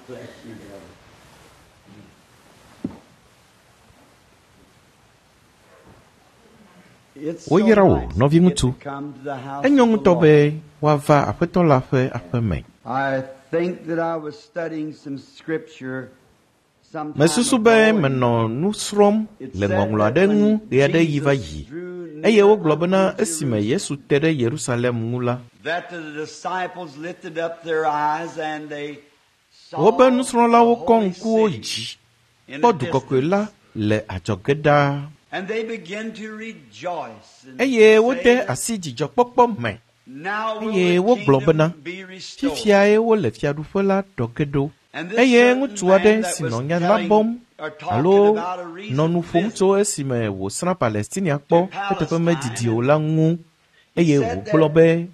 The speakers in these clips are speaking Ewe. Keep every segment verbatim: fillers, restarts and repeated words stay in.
Bless you, brother. It's so Woyra wò, nice nɔviŋutsu. to get to come to the house Enyo of the ŋutɔ Lord. be woava Aƒetɔ la ƒe aƒeme. I think that I was studying some scripture some time Mesusu be ago, and menɔ nu srɔ̃m it le said ŋɔŋlɔ that aɖe ŋu when ɣe aɖe ɣi va Jesus yi. drew Eye near wogblɔ bena unto esime Jerusalem, Yesu te ɖe Yerusalem ŋu la, that the disciples lifted up their eyes and they saw wobe nusrɔ̃lawo the kɔ holy ŋkuwo city dzi in kpɔ the du kɔkɔe la distance. le adzɔge ɖaa. And they began to rejoice and Eye wode say, asi dzidzɔkpɔkpɔ me. Now will Eye the wogblɔ bena, kingdom be restored. Fifiae wole fiaɖuƒe la ɖɔ ge ɖo. And this Eye certain ŋutsu aɖe man that si was nɔ nya la telling bɔm or talking alo about a recent nɔ nu ƒom visit tso esime wòsrã Palestinia kpɔ to eteƒe medidi o Palestine, la ŋu he eye said wògblɔ that be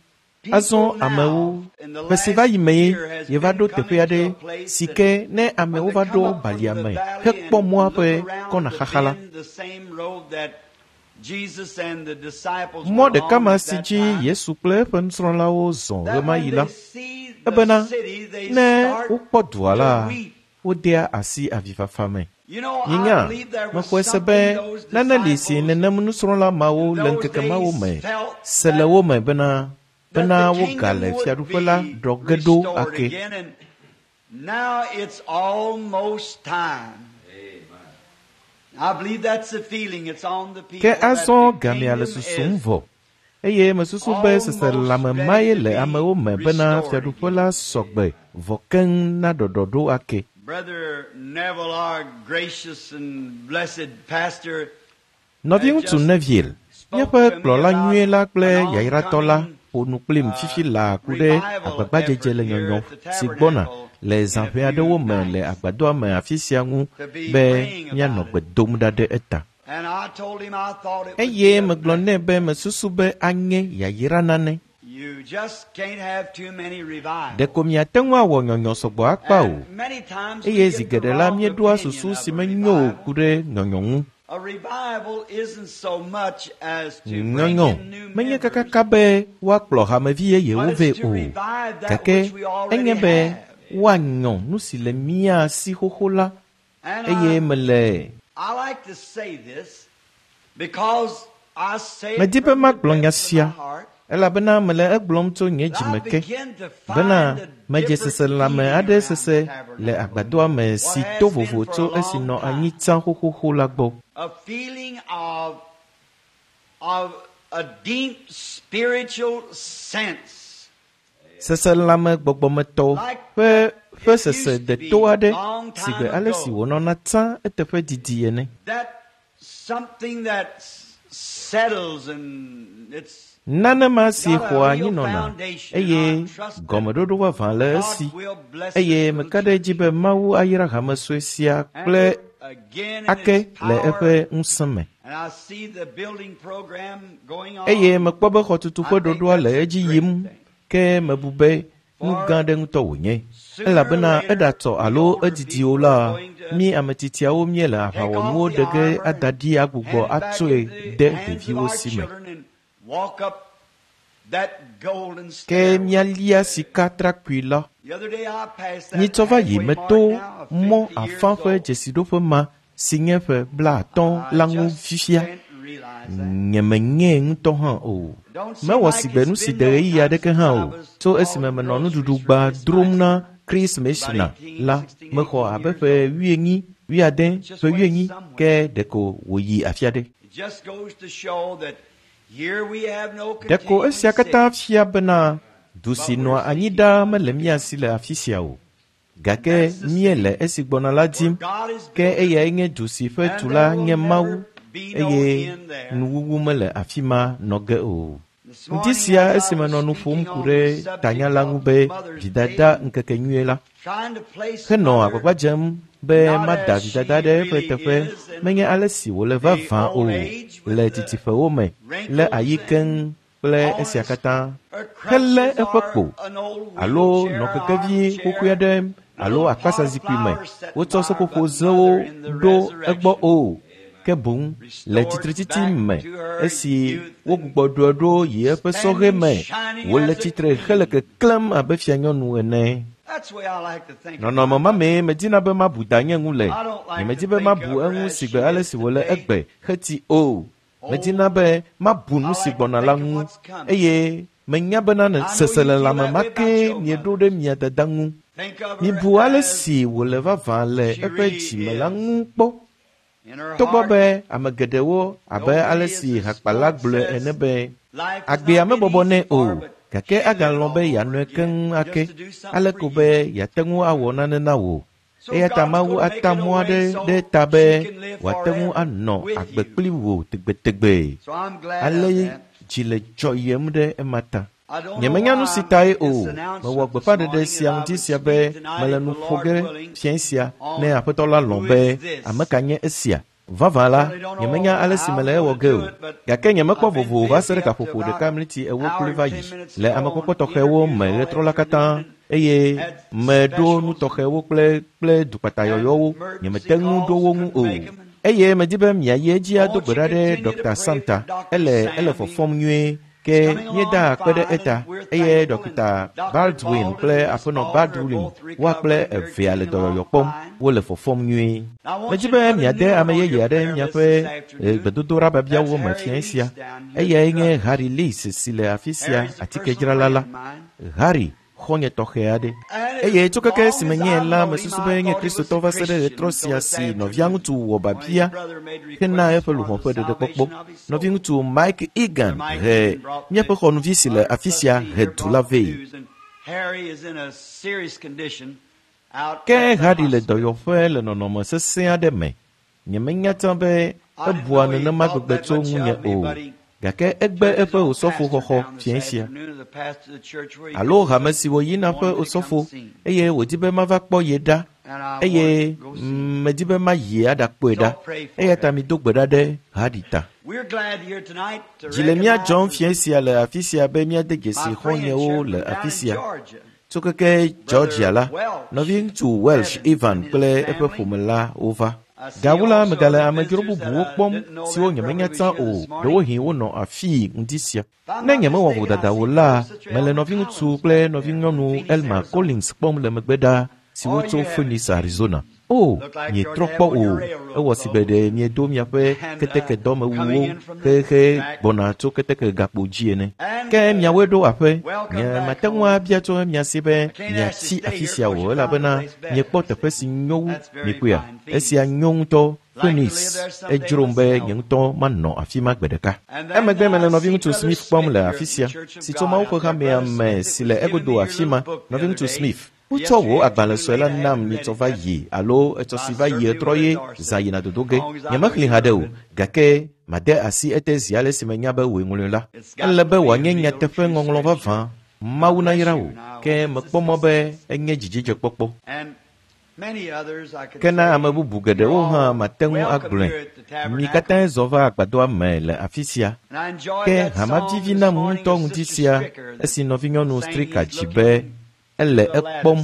azɔ people amewo now in the ƒe si va last yi mee year has yeva been ɖo teƒe coming to aɖe a place si that ke ne when amewo they va come ɖo up from balia the me valley hekpɔ and mɔa look ƒe around kɔna the xaxa la, bend, the same road that Jesus and the disciples mɔ were ɖeka on ma at si that dzi time, Yesu kple eƒe nusrɔ̃lawo zɔ that ɣemaɣi when la, they see the ebena city, they ne start wokpɔ dua to la, weep. wodea asi avifafa me. You know, I Minya, believe there was mexɔe se something be those nane li si disciples nenem nusrɔ̃la mawo in le those ŋkeke mawo days me felt se le that wo me bena that bena the wogale kingdom would fiaɖuƒe la be ɖɔ ge ɖo restored ake. again, and now it's almost time. I believe that's the feeling. It's on the Ke people that azɔ the gamea le kingdom susum is vɔ eye mesusu be almost seselelãme ready mae to le be amewo me bena restored fiaɖuƒe again. la sɔgbe vɔ keŋ na ɖɔɖɔɖo ake. Brother Neville, our gracious and blessed pastor, had Nɔviŋutsu just Neville, spoke míaƒe to me kplɔla about nyuie la kple an yayratɔ la oncoming ƒo nu kplim uh, fifi laa ku ɖe revival agbagbadzedze effort le here nyɔnyɔ at the si gbɔna tabernacle le in a zã ƒe few aɖewo me le nights agbadɔa me afi sia ŋu to be be praying míanɔ about gbe it. dom ɖa ɖe eta. And I told him I thought it would Eye be a megblɔ nɛ blessing. be mesusu be anye yayra nane. You just can't have too many revivals. Ɖeko miate ŋu awɔ nyɔnyɔ sɔgbɔ akpa o. And many times we Eye zi get the geɖe la wrong míeɖoa opinion susu of si a menyo o revival. ku ɖe nyɔnyɔ ŋu. A revival isn't so much as to bring Nyɔnyɔ in new menye members, kakaka be woakplɔ hamevi yeyewo but it's vɛ to o. revive that Gake which we already enye be have. woanyɔ nu si le mía si xoxo la And eye I, mele I like to say this because I say it medi be from the magblɔ nya depths of my sia heart elabena mele egblɔm tso nye that I dzime ke begin to bena find a medze different seselelãme feeling aɖe around the sese le tabernacle. agbadɔa me What si has to been vovo for a tso esi long nɔ anyi time. tsã xoxoxo la gbɔ. A feeling of, of a deep spiritual sense Seselelãme gbɔgbɔmetɔ like ƒe ƒe it sese used to deto be aɖe long si gbe time ale si ago. wònɔna tsã eteƒe didi ene. That something that s- settles and it's Nane ma si got a xɔa real anyi nɔna foundation, and eye I trust that gɔmeɖoɖo vavã le God esi will bless eye this little meka ɖe edzi church be Mawu ayra hame sue sia and kple again in ake its le power. eƒe ŋusẽ me. And I see the building program going Eye on. mekpɔ be xɔtutu I ƒe think ɖoɖoa le that's a edzi great yim thing. ke mebu be nu For gã aɖe ŋutɔ wònye sooner or elabena later, eɖatɔ the alo older edidi o people la are going to mí ame tsitsiawo míele take off aʋawɔnuwo the ɖe ge armor ada and ɖi agbugbɔ hand it back atsɔe into the de hands of ɖeviwo our si me. children and walk up that golden Ke stairway. míalia sikatrakpui la. The other day I passed that Nyitsɔ va yi halfway mark meto now of mɔ fifty afã years ƒe old. dzesiɖoƒe ma si nye ƒe blaatɔ̃ I la ŋu just fifia. can't realize that. Nyemenyee ŋutɔ hã o. It don't seem Mewɔ like si gbe it's nu si been de no ɣeyiɣi time aɖeke since hã I o. was Tso esime called menɔ groceries nuɖuɖu for gba Miss drom Meister na Chris about Messina eighteen, la, sixteen, mexɔ eighteen abe years ƒe old. wuienyi, wuiade, It just ƒe went wuienyi somewhere. ke ɖeko wòyi afi aɖe. It just goes to show that here we have no Ɖeko continuing esia katã city, fia bena du si but nɔa we're anyi seeking ɖaa one mele to mía come. si le afi sia o. And Gake that's the míele city esi gbɔna la where dim God is ke building, eyae nye du si ƒe and there tula will nye Mawu never be no eye end there. nuwuwu mele afi ma nɔ ge o. This Ŋdi morning, sia as I esime was nɔ nu ƒom speaking ku on ɖe the subject tanya la ŋu of be Mother's vidada Day, ŋkekenyuie la, trying to place henɔ Mother agbagba dzem be not mada as she vidada ɖe eƒe really teƒe is in menye ale si wòle the vavã o old age with le the didiƒewo me, le wrinkles ayi and keŋ kple on esia his katã. her Helé crutches eƒe or kpo an old alo nɔ wheelchair, kekevi xoxoe armchair, aɖe alo little pot of akpasazikpui me. flowers sitting Wotsɔ by her, but seƒoƒozewo Mother in the ɖo egbɔ resurrection o. Ke boŋ le restored tsitretsitsi back me to her esi youth and wogbugbɔ ɖoe ɖo yi eƒe sɔhɛ standing me shining wòle as a tsitre hele queen. keklẽm abe fianyɔnu ene. Nɔnɔme ma mee medina be mabu danye ŋu le. Nyemedi be mabu eŋu sigbe ale si wòle egbe xeti o. Medina be mabu nu si gbɔna la ŋu eye menya bena seselelãme ma kee mieɖo ɖe mia dada ŋu. Mibu ale si wòle vavã le eƒe dzime la ŋu kpɔ. Togbɔ be ame geɖewo abe ale si hakpala gblɔe ene be agbea mebɔbɔ nɛ o, gake agalɔ̃ be yeanɔe keŋ ake, ale ko be yeate ŋu awɔ nane na wò. Eya ta Mawu ata mɔ aɖe ɖe ta be wòate ŋu anɔ agbe kpli wò tegbetegbe. Ale dzi le dzɔyem ɖe ema ta. Nyemenya nu si tae o. Mewɔ gbeƒãɖeɖe sia ŋdi sia be mele nu ƒo ge fiẽ sia ne Aƒetɔ la lɔ̃ be ame ka nye esia. Vavã la, nyemenya ale si mele ewɔ ge o. Gake nyemekpɔ vovo va se ɖe gaƒoƒo ɖeka mliti ewo kloe va yi le amekpɔkpɔ tɔxɛwo me ɣetrɔ la katã eye meɖo nu tɔxɛwo kple kple dukpatayɔyɔwo. Nyemete ŋu ɖo wo ŋu o. Eye medi be miayi edzi ado gbe ɖa ɖe Dɔkta Santa. Ele ele fɔfɔm nyuie. Ke míeda akpe ɖe eta eye Dɔkta Baldwin kple aƒenɔ Baldwin woa kple evea le dɔyɔyɔ kpɔm wole fɔfɔm nyuie. Medzi be miade ame yeye aɖe miaƒe gbedodoɖabiabiawo me fiẽ sia. Eyae nye Harry Lease si le afi sia atikedzrala la. Harry xɔnye tɔxɛ aɖe. Eye tso keke si menye la mesusu be nye Kristotɔ va se ɖe ɣetrɔ sia si nɔvia ŋutsu wɔ babia hena eƒe luʋɔ ƒe ɖeɖekpɔkpɔ. Nɔviŋutsu Mike Egan he míaƒe xɔnuvi si le afi sia he du la vɛ. Ke Harry le dɔyɔƒe le nɔnɔme sesẽ aɖe me. Nyemenya tsã be ebua nenema gbegbe tso ŋunye o. Gake egbe eƒe osɔfo xɔxɔ fiẽ sia alo hame si wòyina ƒe osɔfo eye wòdi be mava kpɔ ye ɖa eye medi be mayi aɖakpɔe ɖa. Eya ta mido gbe ɖa ɖe Harry ta. Dzi le mía dzɔm fiẽ sia le afi sia be míade dzesi xɔ̃nyewo le afi sia. Tso keke Georgia la, nɔviŋutsu Welsh Ivan kple eƒe ƒome la wova. Gawu la, megale amedzro bubuwo kpɔm siwo nyemenya tsã o, ɖewohĩ wonɔ afii ŋdi sia. Ne nyemewɔ vodada o la, mele nɔviŋutsu kple nɔvinyɔnu Elma Collins kpɔm le megbe ɖa siwo tso Phoenix, Arizona. O, mietrɔ kpɔ o, ewɔ si be ɖe miedo miaƒe ketekedɔmewuwo xexe gbɔna tso keteke gakpo dzi ene. Ke miawoe ɖo aƒe, nyemate ŋu abia tso mia si be miatsi afi sia o elabena miekpɔ teƒe si nyo wu miekpɔea. Esia nyo ŋutɔ. Phoenix edzrom be nye ŋutɔ manɔ afi ma gbe ɖeka. Emegbe mele nɔviŋutsu Smith kpɔm le afi sia, si tso Mawu ƒe hamea me si le egodo afi ma. Nɔviŋutsu Smith, wotsɔ wò agbalẽ sue la nam nyitsɔ va yi alo etsɔ si va yi etrɔ ye zã yina dodo ge. Nyemexlẽ haɖe o, gake made asi ete zi ale si menya be wòe ŋlɔe la. Ele be wòanye nyateƒe ŋɔŋlɔ vavã. Mawu nayra wò, ke mekpɔ mɔ be enye dzidzedzekpɔkpɔ. Ke na ame bubu geɖewo hã mate ŋu agblɔe. Mi katãe zɔ va agbadɔa me le afi sia. Ke hama vivi nam ŋutɔ ŋdi sia esi nɔvinyɔnu Stricker dzi be ele ekpɔm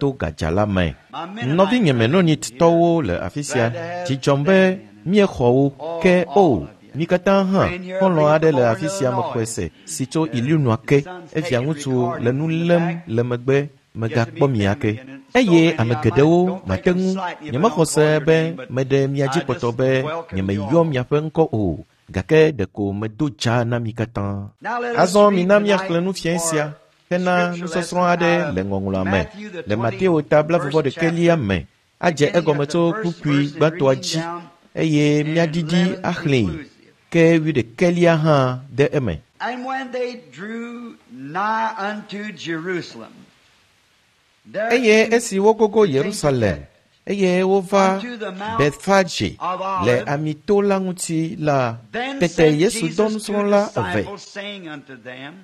to gadza la me. Nɔvinye Mennonitɔwo le afi sia. Dzi dzɔm be míexɔ wo. Ke o, mi katã hã xɔlɔ̃ aɖe le afi sia mexɔe se si tso Illinois ke. Evia ŋutsu le nu lém le megbe megakpɔ mi ake. Eye ame geɖewo mate ŋu. Nyemexɔ se be meɖe mia dzi kpɔtɔ be nyemeyɔ miaƒe ŋkɔ o, gake ɖeko medo dza na mi katã. Azɔ mina míaxlẽ nu fiẽ sia hena nusɔsrɔ̃ aɖe le ŋɔŋlɔa me le Mateo ta blaeve-vɔ-ɖekɛlia me adze egɔme tso kpukpui gbãtɔa dzi eye míaɖiɖi axlẽe ke wuiɖekɛlia hã de eme. And when they drew nigh unto Jerusalem, there Eye esi wogogo Yerusalem eye wova Betfage le Amito la ŋuti la, Then tete sent Yesu dɔ Jesus two nusrɔ̃la eve disciples, saying unto them,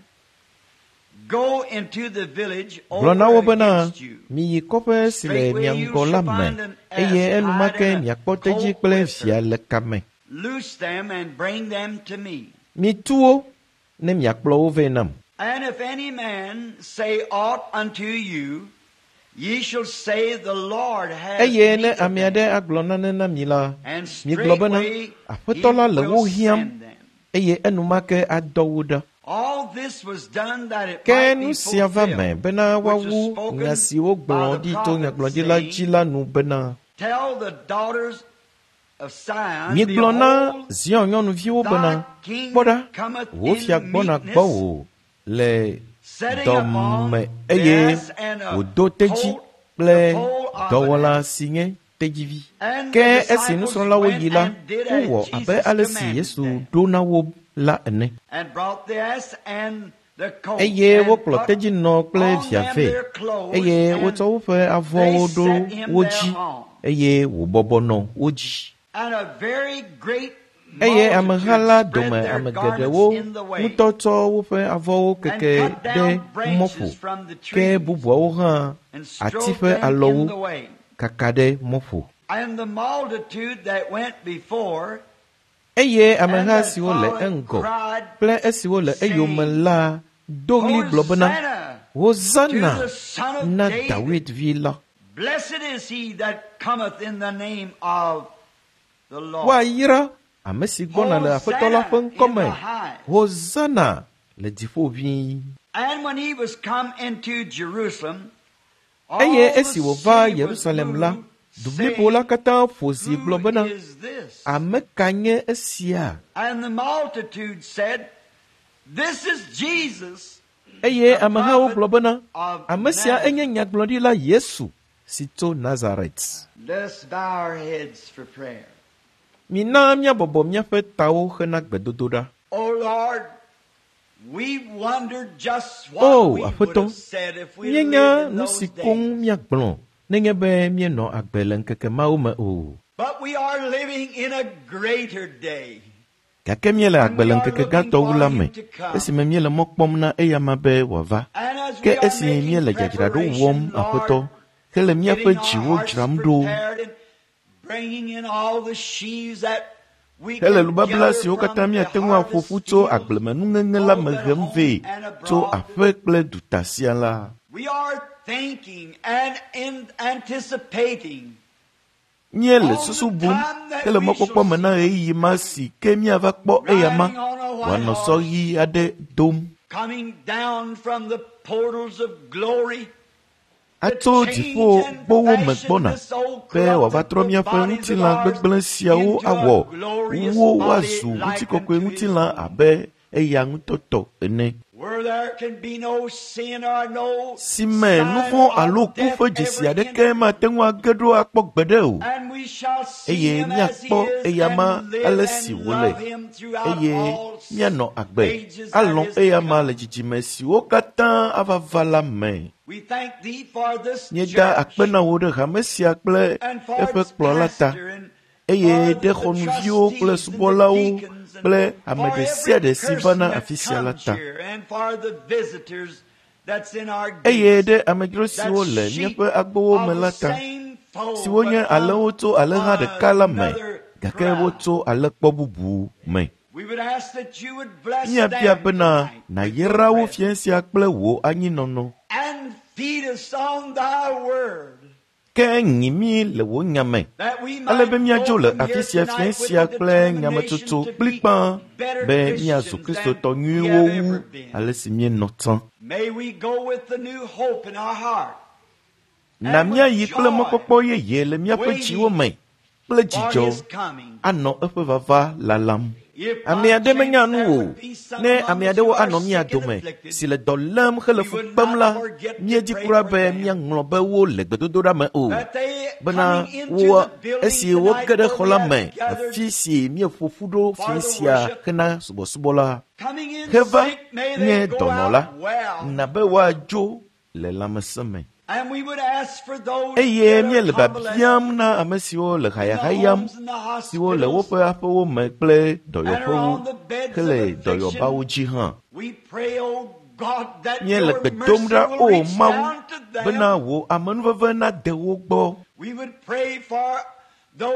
Go into the village gblɔ na wo over bena against you. miyi kɔƒe si le mia ŋgɔ la me eye enumake miakpɔ tedzi kple via le kame. Loose them and bring them to me. Mitu wo ne miakplɔ wo vɛ nam. And if any man say aught unto you, ye shall say the Lord has Eye need ne of ame them. aɖe agblɔ nane na mi la, And migblɔ bena straightway Aƒetɔ la he le will wo hiãm send them. eye enumake adɔ wo ɖa. Ke nu sia va me bena woawu nya si wogblɔ ɖi to nyagblɔɖila dzi la nu bena, Migblɔ na Zion nyɔnuviwo bena, kpɔ ɖa, wò fia gbɔna gbɔwò le dɔme eye wòdo tedzi kple dɔwɔla si nye tedzivi. Ke esi nusrɔ̃lawo yi la, wowɔ abe ale si Yesu ɖo na wo la ene. Eye wokplɔ tedzinɔ kple via vɛ, eye wotsɔ woƒe avɔwo ɖo wo dzi, eye wòbɔbɔ nɔ wo dzi. Eye ameha la dome ame geɖewo ŋutɔ tsɔ woƒe avɔwo keke ɖe mɔƒo, ke bubuawo hã ati ƒe alɔwo kaka ɖe mɔƒo. Eye ameha siwo le eŋgɔ kple esiwo le eyome la do ɣli gblɔ bena, Hosana na Dawid vi la. Woayra ame si gbɔna le Aƒetɔ la ƒe ŋkɔme. Hosana le dziƒo ʋĩi. Eye esi wòva Yerusalem la, du blibo la katã ƒo zi gblɔ bena, Ame ka nye esia? Eye amehawo gblɔ bena, Ame sia enye nyagblɔɖila Yesu si tso Nazaret. Mina míabɔbɔ míaƒe tawo hena gbedodoɖa. O Aƒetɔ, míenya nu si koŋ míagblɔ nenye be míenɔ agbe le ŋkeke mawo me o. Gake míele agbe le ŋkeke gãtɔ wu la me, esime míele mɔ kpɔm na eyama be wòava. Ke esi míele dzadzraɖo wɔm, Aƒetɔ, hele míaƒe dziwo dzram ɖo, hele nubabla siwo katã míate ŋu aƒo ƒu tso agblemenuŋeŋe la me hem vɛ tso aƒe kple duta sia la. Míele susu bum hele mɔkpɔkpɔ me na ɣeyiɣi ma si ke míava kpɔ eyama wòanɔ sɔ ɣi aɖe dom. Atso dziƒo gbowo me gbɔna be wòava trɔ míaƒe ŋutilã gbegblẽ siawo awɔ wo woazu ŋutikɔkɔe ŋutilã abe eya ŋutɔ tɔ ene. Si me nu vɔ̃ alo ku ƒe dzesi aɖeke mate ŋu age ɖo akpɔ gbeɖe o, eye míakpɔ eyama ale si wòle, eye míanɔ agbe alɔ̃ eyama le dzidzime siwo katã ava va la me. Míeda akpe na wò ɖe hame sia kple eƒe kplɔla ta, eye ɖe xɔnuviwo kple subɔlawo kple ame ɖe sia ɖe si vana afi sia la ta. Eye ɖe amedzro siwo le míaƒe agbowo me la ta, siwo nye alẽwo tso alẽha ɖeka la me, gake wotso alẽkpɔ bubu me. Míabia bena nàyra wo fiẽ sia kple wò anyinɔnɔ. Ke nyi mí le wò nya me, ale be míadzo le afi sia fiẽ sia kple nyametsotso kplikpaa be míazu Kristotɔ nyuiwo wu ale si míenɔ tsã. Na míayi kple mɔkpɔkpɔ yeye le míaƒe dziwo me kple dzidzɔ anɔ eƒe vava lalam. Ame aɖe menya nu o. Ne ame aɖewo anɔ mía dome si le dɔ lém hele fu kpem la, míedi kura be míaŋlɔ be wo le gbedodoɖa me o. Bena wo esi woge ɖe xɔ la me, afi si míeƒo ƒu ɖo fiẽ sia hena subɔsubɔ la, heva nye dɔnɔ la, na be woadzo le lãmesẽ me. Eye míele biabiam na ame siwo le hayahayam, siwo le woƒe aƒewo me kple dɔyɔƒewo hele dɔyɔbawo dzi hã. Míele gbe dom ɖa, O Mawu, bena wò amenuveve nade wo gbɔ.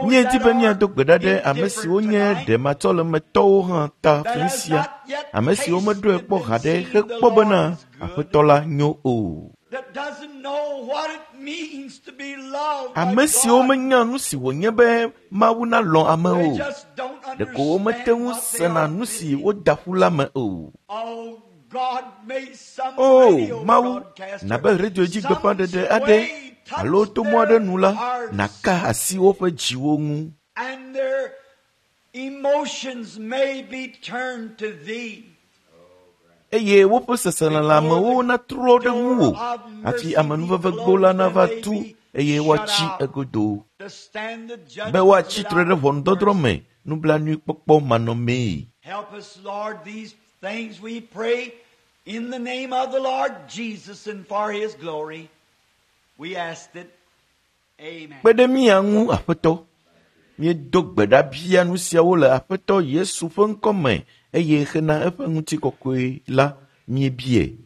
Míedi be míado gbe ɖa ɖe ame siwo nye ɖematsɔlemetɔwo hã ta fiẽ sia, ame siwo meɖoe kpɔ haɖe hekpɔ bena Aƒetɔ la nyo o. know what it means to be loved by Ame siwo God. menya nu si wònye be Mawu nalɔ̃ ame They o. just don't Ɖeko womete understand ŋu what they sena are nu si missing. woda ƒu la me o. Oh, God, may some O radio Mawu, broadcaster, nabe radio dzi some gbeƒãɖeɖe aɖe way touch alo to mɔ aɖe their nu la, hearts naka asi woƒe dziwo ŋu and their emotions may be turned to thee. eye woƒe seselelãmewo natrɔ ɖe ŋuwò hafi amenuvevegbo la nava tu eye woatsi egodo To stand the be judgment woatsi tre ɖe without ʋɔnudɔdrɔ̃ mercy. me nublanuikpɔkpɔ manɔmee. Help us, Lord, these things we pray in the name of the Lord Jesus and for his glory. We ask it. Amen. Kpe ɖe mía ŋu, Aƒetɔ. Míedo gbe ɖa bia nu siawo le Aƒetɔ Yesu ƒe ŋkɔ me eye hena eƒe ŋutikɔkɔe la míebie.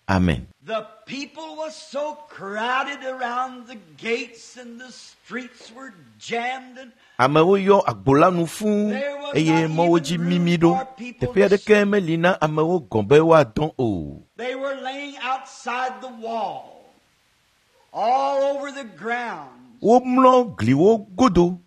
Amen. The people was so crowded around the gates and the streets were jammed and Amewo yɔ agbo la nu fũu there was eye not mɔwo even dzi room mimi ɖo. for people Teƒe to aɖeke meli na amewo gɔ̃ be woadɔ o. They were laying outside the wall, all over the ground. Womlɔ gliwo godo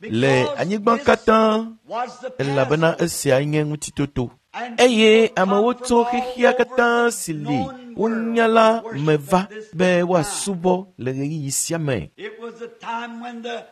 le Because anyigba this katã was the elabena Passover. esia nye ŋutitoto. And Eye people come amewo from tso all xexea over katã the si li known wonya world la to me worship va at this be time. woasubɔ le ɣeyiɣi sia me. It was the time when the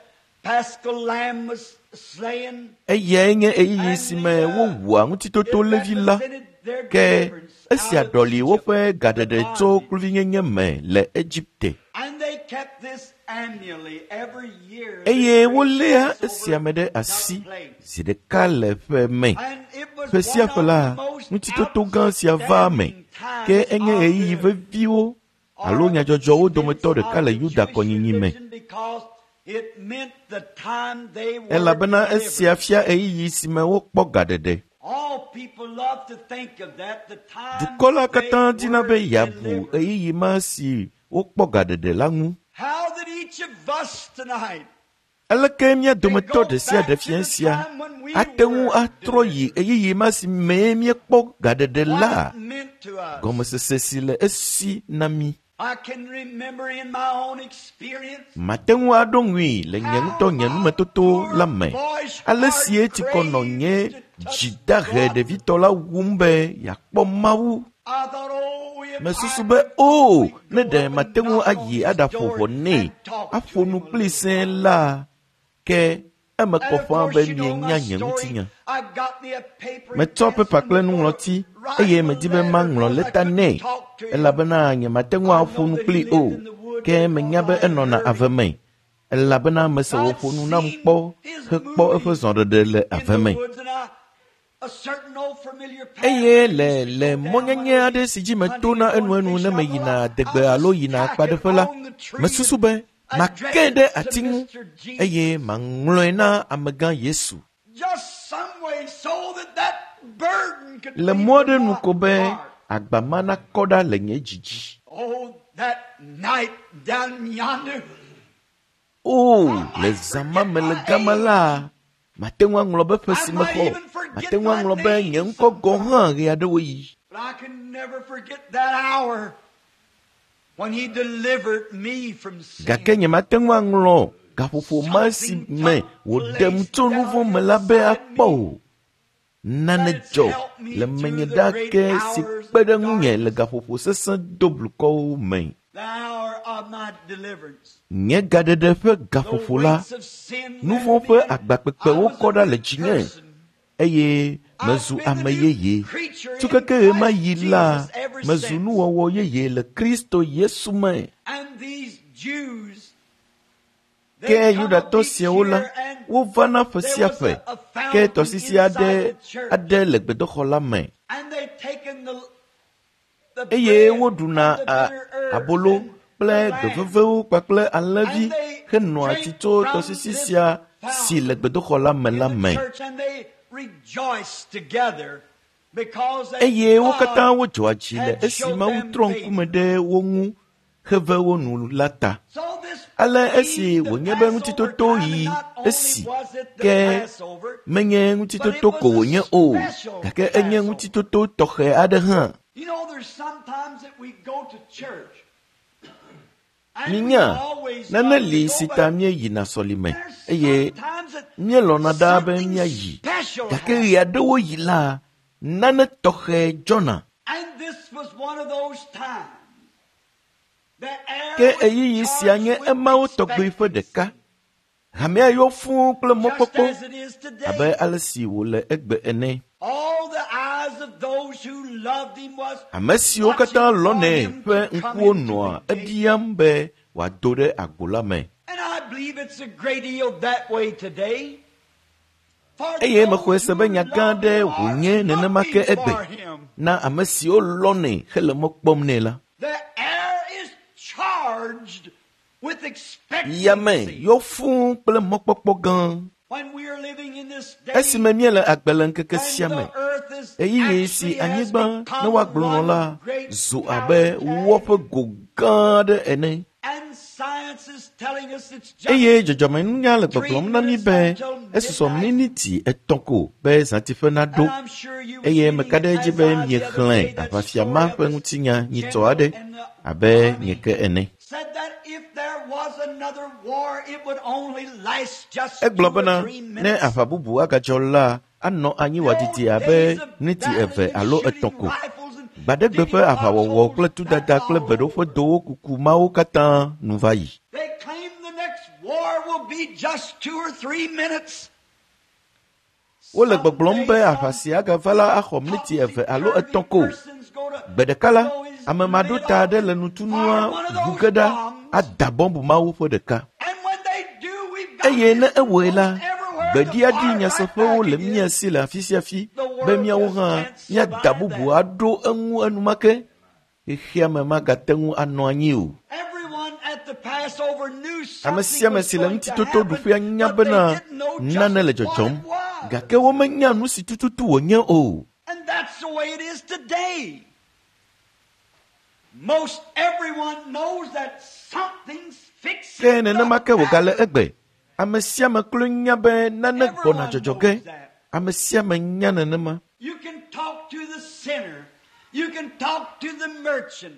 Paschal lamb was slain. Eyae nye ɣeyiɣi And si me the, uh, wowua it ŋutitoto levi la. represented their Ke deliverance esia out of ɖɔli Egypt, woƒe the gaɖeɖe tso bondage. kluvinyenye me le Egipte. And they kept this annually every year. This Eye great woléa Passover esia me ɖe took asi place. zi ɖeka le ƒe me. And it was Ƒe sia one ƒe of la, the most ŋutitoto gã sia vaa me. outstanding Ke times enye of ɣeyiɣi the veviwo alo or nyadzɔdzɔwo events dometɔ ɖeka of le the Yuda Jewish kɔnyinyi me. religion because it meant the time they were Elabena delivered. esia fia ɣeyiɣi si me wokpɔ gaɖeɖe. All people love to think of that, the time Dukɔ la they katã dina were be yeabu delivered. ɣeyiɣi ma si wokpɔ gaɖeɖe la ŋu. How that each of us tonight Aleke mía can dometɔ go ɖe sia back ɖe to fia the sia time when we ate ŋu were atrɔ yi delivered. ɣeyiɣi ma si mee míekpɔ gaɖeɖe What la? it meant to us. Gɔmesese si le esi na mí. I can remember in my own experience Mate ŋu aɖo ŋui le nye how ŋutɔ nye my numetoto poor la me. boyish Ale heart si etsikɔ nɔ craved nye to touch dzi dahe God. ɖevitɔ la wum be yeakpɔ Mawu. I thought, oh, if Mesusu I be could o only ne go ɖe up and mate ŋu knock on ayi his aɖaƒo door ʋɔ nɛ and talk to aƒo nu him a kpli little sẽe while. la ke eme And kɔ of ƒãa be course, you know my mienya nye story. ŋutinya. I got me a paper and Metsɔ pencil pepa and kple was going to nuŋlɔti write eye a medi be letter maŋlɔ because I lɛta couldn't nɛ talk to him. elabena nyemate ŋu I aƒo know nu that he kpli lived o in the woods ke because menya be I had enɔna heard ave him. me elabena mese I'd wòƒo nu nam seen kpɔ his hekpɔ eƒe moving zɔɖeɖe le in ave the me. woods, and I, a certain old familiar path Eye that I le used to le go down mɔ when I nyanya would aɖe be si dzi hunting metona and going enuenu ne fishing. I meyina thought adegbe I'll alo just yina tack it akpaɖeƒe la, on the tree mesusu and be make address ɖe it to ati ŋu Mister Jesus. eye maŋlɔe na amegã Yesu. Just some way so that that burden could Le leave mɔ aɖe from nu my ko be heart. agba ma nakɔ ɖa le nye dzi dzi. Oh, that night down yonder, O, I le might zã ma forget me le my gama age. la, mate ŋu aŋlɔ be ƒe I si might mexɔ, even mate forget ŋu my aŋlɔ be nye name ŋkɔ gɔ̃ sometime. hã ɣeaɖewoɣi. But I can never forget that hour when he delivered me from Gake sin. nyemate ŋu aŋlɔ gaƒoƒo ma si Something me took wòɖem place tso nu down vɔ̃ me la be inside akpɔ me o. Nane that it's dzɔ helped me le through menye the ɖa great ke si hours kpe of ɖe ŋunye le darkness, gaƒoƒo sesẽ doblukɔwo me. the hour of my deliverance. Nye gaɖeɖe ƒe The gaƒoƒo la, weights of sin nu left vɔ̃ me ƒe and agba I kpekpewo was kɔ a ɖa le new dzinye person. eye I've mezu been the ame new yeye. creature Tso in keke Christ ɣemaɣi la, Jesus ever mezu since. nuwɔwɔ yeye le Kristo Yesu me. And these Jews, Ke they come up Yudatɔ each siawo la, year and wovana ƒe there sia was ƒe a, a ke fountain tɔsisi inside aɖe the church. aɖe le gbedoxɔ la me And they taken the, the eye bread woɖuna and the a- bitter herbs abolo and kple the lamb. gbevevewo kpakple alẽvi And they henoa tsi drink tso from tɔsisi this sia si le fountain gbedoxɔ la me in la the me. church, and they rejoiced together because that Eye wo katã God wodzɔa dzi le had esi showed Mawu them trɔ ŋkume favor. ɖe wo ŋu heve wo nu la ta. So this Ale esi being the wònye be Passover ŋutitoto time, and yi not only esi was it the ke Passover, menye but it ŋutitoto ko was a wònye o, special gake enye Passover. ŋutitoto tɔxɛ aɖe hã. You know, there's sometimes that we go to church Minya, nane li si ta míeyina sɔlime eye míelɔ̃na ɖaa be míayi. Gake ɣe aɖewo yi la, nane tɔxɛ dzɔna. Ke ɣeyiɣi sia nye emawo tɔgbi ƒe ɖeka. Hamea yɔ fũu kple mɔkpɔkpɔ abe ale si wòle egbe ene. Ame siwo katã lɔ̃nɛ ƒe ŋkuwo nɔa ebiam be wòado ɖe agbo la me. Eye mexɔe se be nya gã aɖe wònye nenema ke egbe na ame siwo lɔ̃nɛ hele mɔ kpɔm nɛ la. Yame yɔ fũu kple mɔkpɔkpɔ gã. Esime míele agbe le ŋkeke sia me, ɣeyiɣi si anyigba ne woagblɔ nɔ la zu abe wɔ ƒe go gã aɖe ene. Eye dzɔdzɔmenunya le gbɔgblɔm na mí be esusɔ miniti etɔ̃ ko be zãtiƒe naɖo. Eye meka ɖe edzi be miexlẽ aʋafia ma ƒe ŋutinya nyitsɔ aɖe abe nye ke ene. Egblɔ bena ne aʋa bubu agadzɔ la, anɔ anyi wòadidi abe miniti eve alo etɔ̃ ko. Gbaɖegbe ƒe aʋawɔwɔ kple tudada kple beɖoƒedowo kuku mawo katã nu va yi. Wole gbɔgblɔm be aʋa si agava la axɔ miniti eve alo etɔ̃ ko. Gbe ɖeka la, ame maɖota aɖe le nutunua ʋu ge ɖa ada bɔmbu mawo ƒe ɖeka. Eye ne ewɔe la, gbeɖiaɖi nyaseƒewo le mía si le afi sia afi be míawo hã míada bubu aɖo eŋu enumake. Xexea me magate ŋu anɔ anyi o. Ame sia ame si le ŋutitotoɖuƒea nya bena nane le dzɔdzɔm, gake womenya nu si tututu wònye o. Ke nenema ke wògale egbe. Ame sia ame kloe nya be nane gbɔna dzɔdzɔ ge. Ame sia ame nya nenema.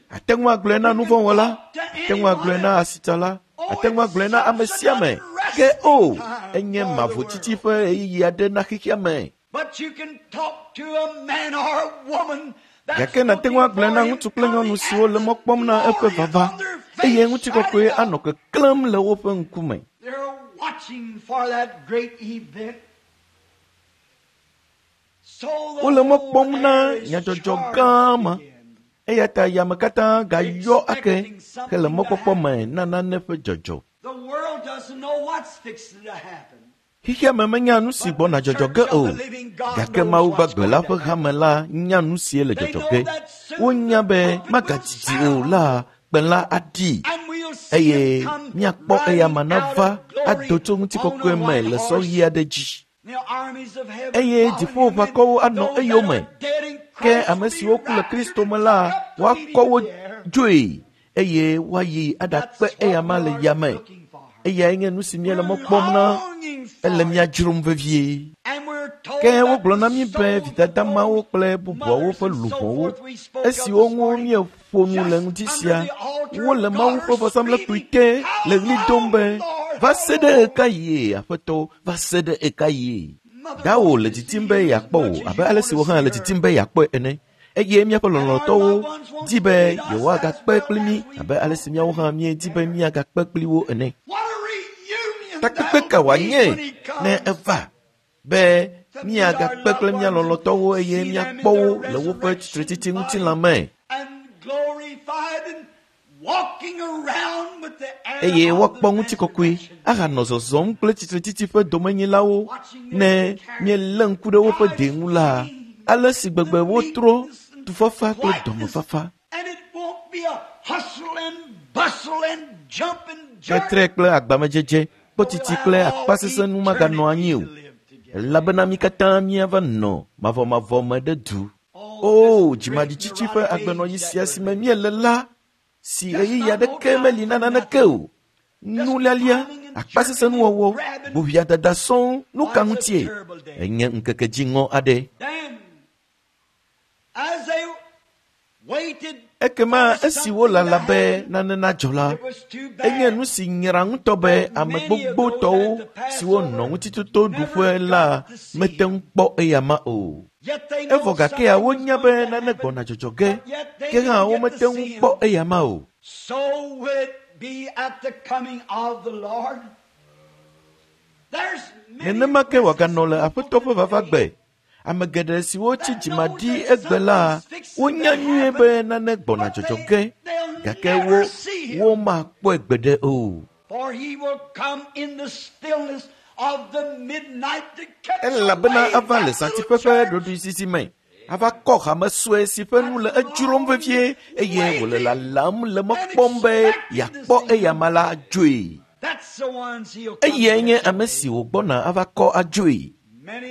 Ate ŋu agblɔe na nuvɔ̃wɔla, ate ŋu agblɔe na asitsala, ate ŋu agblɔe na ame sia ame. Ke o, enye mavotsitsi ƒe ɣeyiɣi aɖe na xexea me. Gake nàte ŋu agblɔe na ŋutsu kple nyɔnu siwo le mɔ kpɔm na eƒe vava, eye ŋutikɔkɔe anɔ keklẽm le woƒe ŋkume. Wole mɔ kpɔm na nyadzɔdzɔ gã ma, eya ta yame katã gayɔ ake hele mɔkpɔkpɔ me na nane ƒe dzɔdzɔ. Xexea me menya nu si gbɔna dzɔdzɔ ge o, gake Mawu gbagbe la ƒe hame la nya nu sie le dzɔdzɔ ge. Wonya be magadidi o la, kpẽ la aɖi eye míakpɔ eyama nava ado tso ŋutikɔkɔe me le sɔɣi aɖe dzi. Eye dziƒoʋakɔwo anɔ eyome. Ke ame siwo ku le Kristo me la, woakɔ wo dzoe eye woayi aɖakpe eyama le yame. Eyae nye nu si míele mɔ kpɔm na, ele mía dzrom vevie. Ke wogblɔ na mí be vidada mawo kple bubuawo ƒe luʋɔwo, esiwo ŋu míeƒo nu le ŋuti sia, wole Mawu ƒe vɔsamlekpui te le ɣli dom be, va se ɖe ɣekaɣie, Aƒetɔ, va se ɖe ɣekaɣie. Dawò le didim be yeakpɔ wò abe ale si wò hã le didim be yeakpɔe ene. Eye míaƒe lɔlɔ̃tɔwo di be yewoagakpe kpli mí abe ale si míawo hã míedi be míagakpe kpli wo ene. Takpekpe ka wòanye ne eva be míagakpe kple mía lɔlɔ̃tɔwo eye míakpɔ wo le woƒe tsitretsitsi ŋutilã me. Eye woakpɔ ŋutikɔkɔe ahanɔ zɔzɔm kple tsitretsitsi ƒe domenyilawo ne míelé ŋku ɖe woƒe de ŋu la, ale si gbegbe wotrɔ tufafa kple dɔmefafa. Tetre kple agbamedzedze, kpɔtiti kple akpasesẽnu maganɔ anyi o, elabena mí katã míava nɔ mavɔmavɔ me ɖe du. O, dzimaɖitsitsi ƒe agbenɔɣi sia si me míele la, si ɣeyiɣi aɖeke meli na naneke o. Nulialia, akpasesẽnuwɔwɔ, boʋiadada sɔŋ, nu ka ŋutie? Enye ŋkeke dziŋɔ aɖe. Ekema esi wolala be nane nadzɔ la, enye nu si nyra ŋutɔ be ame gbogbotɔwo siwo nɔ ŋutitotoɖuƒe la mete ŋu kpɔ eyama o. Evɔ gakea wonya be nane gbɔna dzɔdzɔ ge, ke hã womete ŋu kpɔ eyama o. Nenema ke wòaganɔ le Aƒetɔ ƒe vavagbe. Ame geɖe siwo tsi dzimaɖi egbe la, wonya nyuie be nane gbɔna dzɔdzɔ ge, gake wo womakpɔe gbeɖe o. Elabena ava le zãtiƒe ƒe ɖoɖoezizi me, ava kɔ hame sue si ƒe nu le edzrom vevie eye wòle lalam le mɔ kpɔm be yeakpɔ eyama la adzoe. Eyae nye ame si wògbɔna ava kɔ adzoe.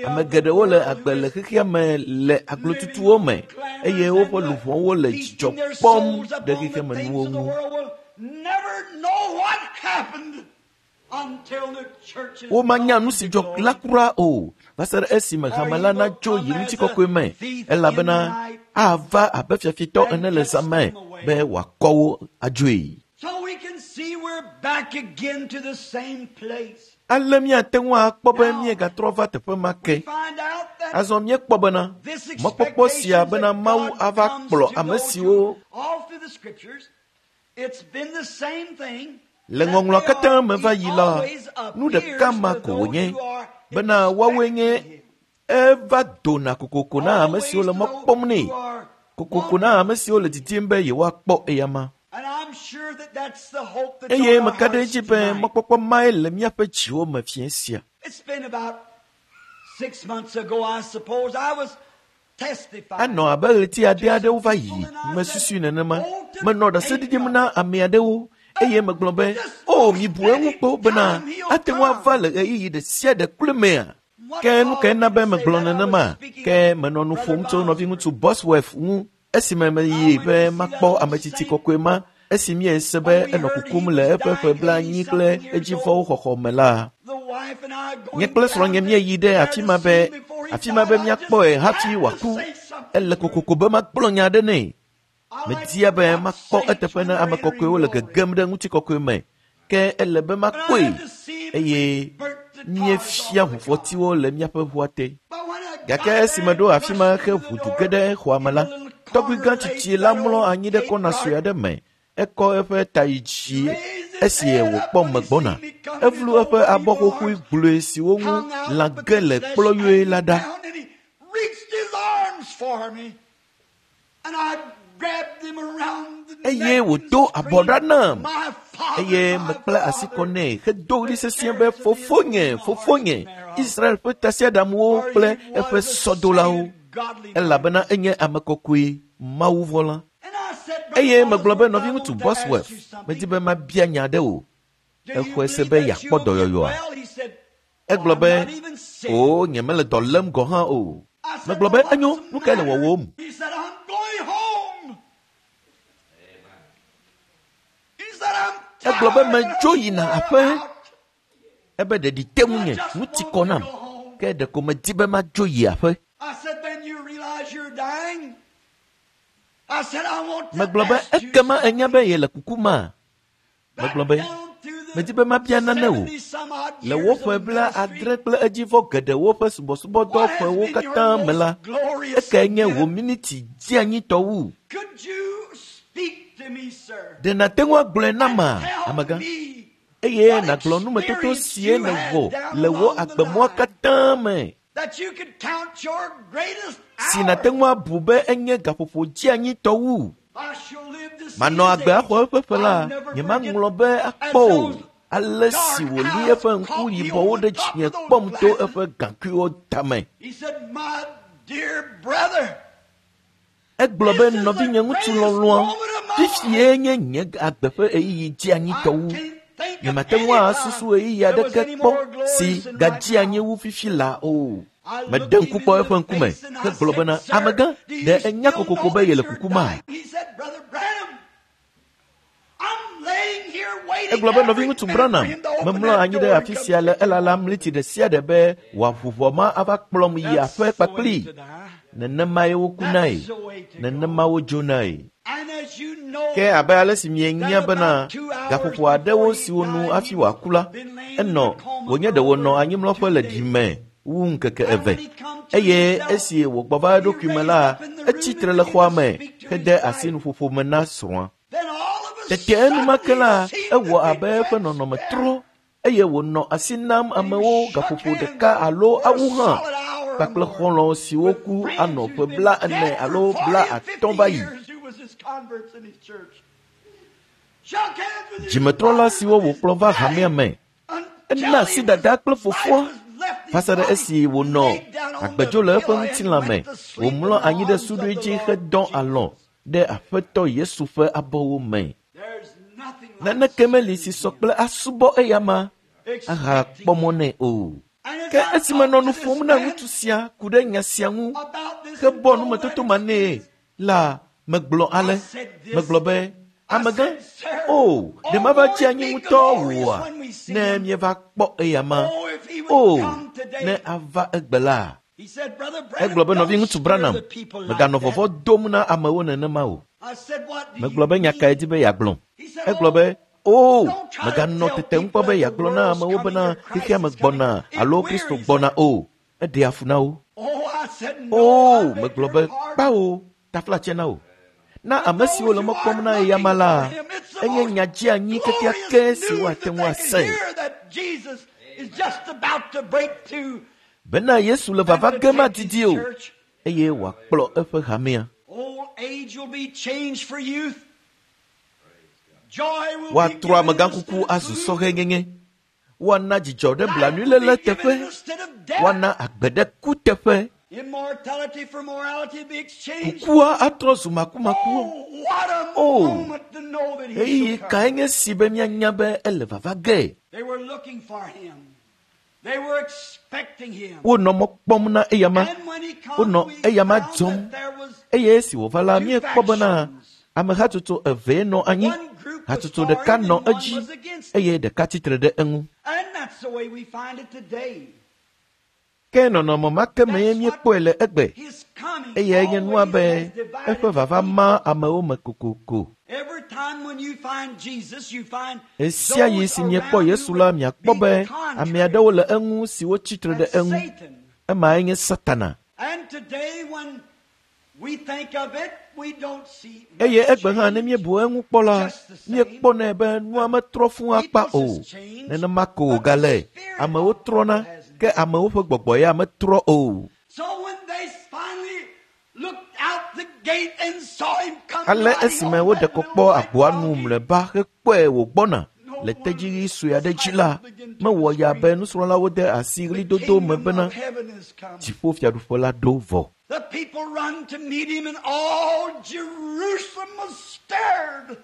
Ame geɖewo le agbe le xexea me le aglotutuwo me eye woƒe luʋɔwo le dzidzɔ kpɔm ɖe xexemenuwo ŋu. Womanya nu si dzɔ la kura o va se ɖe esime hame la natso yi ŋutikɔkɔe me, elabena ava abe fiafitɔ ene le zã me be wòakɔ wo adzoe. Ale míate ŋu akpɔ be míegatrɔ va teƒe ma ke. Azɔ míekpɔ bena mɔkpɔkpɔ sia bena Mawu ava kplɔ ame siwo le ŋɔŋlɔ katã me va yi la, nu ɖeka ma ko wònye bena woawoe nye eva dona kokoko na ame siwo le mɔ kpɔm nɛ, kokoko na ame siwo le didim be yewoakpɔ eyama. Eye meka ɖe edzi be mɔkpɔkpɔ mae le míaƒe dziwo me fiẽ sia. Anɔ abe ɣleti ade aɖewo va yi mesusui nenema. Menɔ ɖase ɖiɖim na ame aɖewo eye megblɔ be, o mibu eŋu kpɔ bena ate ŋu ava le ɣeyiɣi ɖe sia ɖe kloe mea? Ke nu kae na be megblɔ nenema? Ke menɔ nu ƒom tso nɔviŋutsu Bosworth ŋu esime meyi be makpɔ ametsitsi kɔkɔe ma esi míese be enɔ kukum le eƒe ƒe blaenyi kple edzivɔwo xɔxɔ me la. Nye kple srɔ̃nye míeyi ɖe afi ma be afi ma be míakpɔe hafi wòaku. Ele kokoko be magblɔ nya aɖe nɛ. Media be makpɔ eteƒe na ame kɔkɔewo le gegem ɖe ŋutikɔkɔe me, ke ele be makpɔe eye míefia ʋufɔtiwo le míaƒe ʋua te. Gake esi meɖo afi ma he ʋu du ge ɖe xɔa me la, tɔgbui gã tsitsi la mlɔ anyi ɖe kɔna sue aɖe me. Ekɔ eƒe ta yi dzi esi wòkpɔ megbɔna. Evlu eƒe abɔ xoxoe gblɔe siwo ŋu lã ge le kplɔyoe la ɖa. Eye wòdo abɔ ɖa nam eye mekpla asi kɔ nɛ hedo ɣli sesĩe be, fofonye, fofonye, Israel ƒe tasiaɖamwo kple eƒe sɔdolawo, elabena enye ame kɔkɔe, Mawuvɔ̃la. Eye megblɔ be, nɔviŋutsu Bosworth, medi be mabia nya aɖe o. Exɔe se be yeakpɔ dɔyɔyɔa? Egblɔ be, o, nyemele dɔ lém gɔ̃ hã o. Megblɔ be, enyo, nu kae le wɔwòm? Egblɔ be, medzo yina aƒe. Ebe ɖeɖi te ŋunye, nu ti kɔ nam. Ke ɖeko medi be madzo yi aƒe. Megblɔ be, ekema enya be yele kuku ma? Megblɔ be, medi be mabia nane o. Le woƒe bla adre kple edzivɔ geɖewo ƒe subɔsubɔdɔ ƒewo katã me la, ekae nye wò miniti dzianyitɔ wu? Ɖe nàte ŋu agblɔe nama, amegã? Eye nàgblɔ numetoto sie nèwɔ le wò agbemɔa katã me, si nàte ŋu abu be enye gaƒoƒo dzianyitɔ wu. Manɔ agbe axɔ eƒe ƒe la, nyemaŋlɔ be akpɔ o. Ale si wòli eƒe ŋku yibɔwo ɖe dzinye kpɔm to eƒe gaŋkuiwo tame. Egblɔ be, nɔvinye ŋutsu lɔlɔ̃a, fifie nye nye agbe ƒe ɣeyiɣi dzianyitɔ wu. Nyemate ŋu asusu ɣeyiɣi aɖeke kpɔ si gadzi anyi wu fifi la o. Meɖe ŋku kpɔ eƒe ŋkume hegblɔ bena, amegã, ɖe enya kokoko be yele kuku ma? Egblɔ be nɔviŋutsu Branham, memlɔ anyi ɖe afi sia le elalam ɣleti ɖe sia ɖe be wòaʋu ʋɔ ma ava kplɔm yi aƒe kpakplii. Nenemae wokunae, nenema wodzonae. Ke abe ale si mienya bena gaƒoƒo aɖewo siwo nu hafi wòaku la, enɔ wònye ɖe wònɔ anyimlɔƒe le ɖime wu ŋkeke eve. Eye esi wògbɔ va eɖokui me la, etsi tre le xɔa me hede asi nuƒoƒo me na srɔ̃a. Tete enumake la, ewɔ abe eƒe nɔnɔme trɔ eye wònɔ asi nam amewo gaƒoƒo ɖeka alo awu hã kpakple xɔlɔ̃ siwo ku anɔ ƒe bla ene alo bla atɔ̃ va yi. Dzimetrɔla siwo wòkplɔ va hamea me, ena asi dada kple fofoa va se ɖe esi wònɔ agbedzo le eƒe ŋutilã me, wòmlɔ anyi ɖe suɖui dzi hedɔ alɔ̃ ɖe Aƒetɔ Yesu ƒe abɔwo me. Naneke meli si sɔ kple asubɔ eyama ahakpɔ mɔ nɛ o. Ke esi menɔ nu ƒom na ŋutsu sia ku ɖe nya sia ŋu hebɔ numetoto ma nɛ la, megblɔ ale, megblɔ be, amegã, o, ɖe mava tsi anyi ŋutɔ wòa ne míeva kpɔ eyama? O, ne ava egbe la. Egblɔ be nɔviŋutsu Branham, meganɔ vɔvɔ̃ dom na amewo nenema o. Megblɔ be nya kae di be yeagblɔ. Egblɔ be, o, meganɔ tetem kpɔ be yeagblɔ na amewo bena xexea me gbɔna alo Kristo gbɔna o. Eɖea fu na wo. O, megblɔ be kpawo, taflatse na wo. Na ame siwo le mɔ kpɔm na eyama la, enye nya dzeanyi kekeake si woate ŋu ase. Bena Yesu le vava gem adidi o, eye wòakplɔ eƒe hamea. Woatrɔ amegãkuku azu sɔhɛnyenye. Woana dzidzɔ ɖe blanuiléle teƒe. Woana agbe ɖe ku teƒe. Kukua atrɔ zu makumakuwo. O, ɣeyiɣi kae nye si be míanya be ele vava ge? Wonɔ mɔ kpɔm na eyama, wonɔ eyama dzɔm, eye esi wòva la, míekpɔ bena ame hatsotso evee nɔ anyi. Hatsotso ɖeka nɔ edzi eye ɖeka tsitre ɖe eŋu. Ke nɔnɔme ma ke mee míekpɔe le egbe, eye nye nua be eƒe vava ma amewo me kokoko. Ɣesia ɣi si miekpɔ Yesu la, miakpɔ be ame aɖewo le eŋu siwo tsitre ɖe eŋu. Emae nye Satana. Eye egbe hã ne míebu eŋu kpɔ la, míekpɔnɛ be nua metrɔ fũu akpa o. Nenema ko wògale. Amewo trɔna, ke amewo ƒe gbɔgbɔ ya metrɔ o. Ale esime woɖe kɔ kpɔ agboa nu mlɔeba hekpɔe wògbɔna le tedziɣi sue aɖe dzi la, mewɔ ya be nusrɔ̃lawo de asi ɣlidodo me bena dziƒofiaɖuƒe la ɖo vɔ. The people run to meet him, and all Jerusalem was stirred.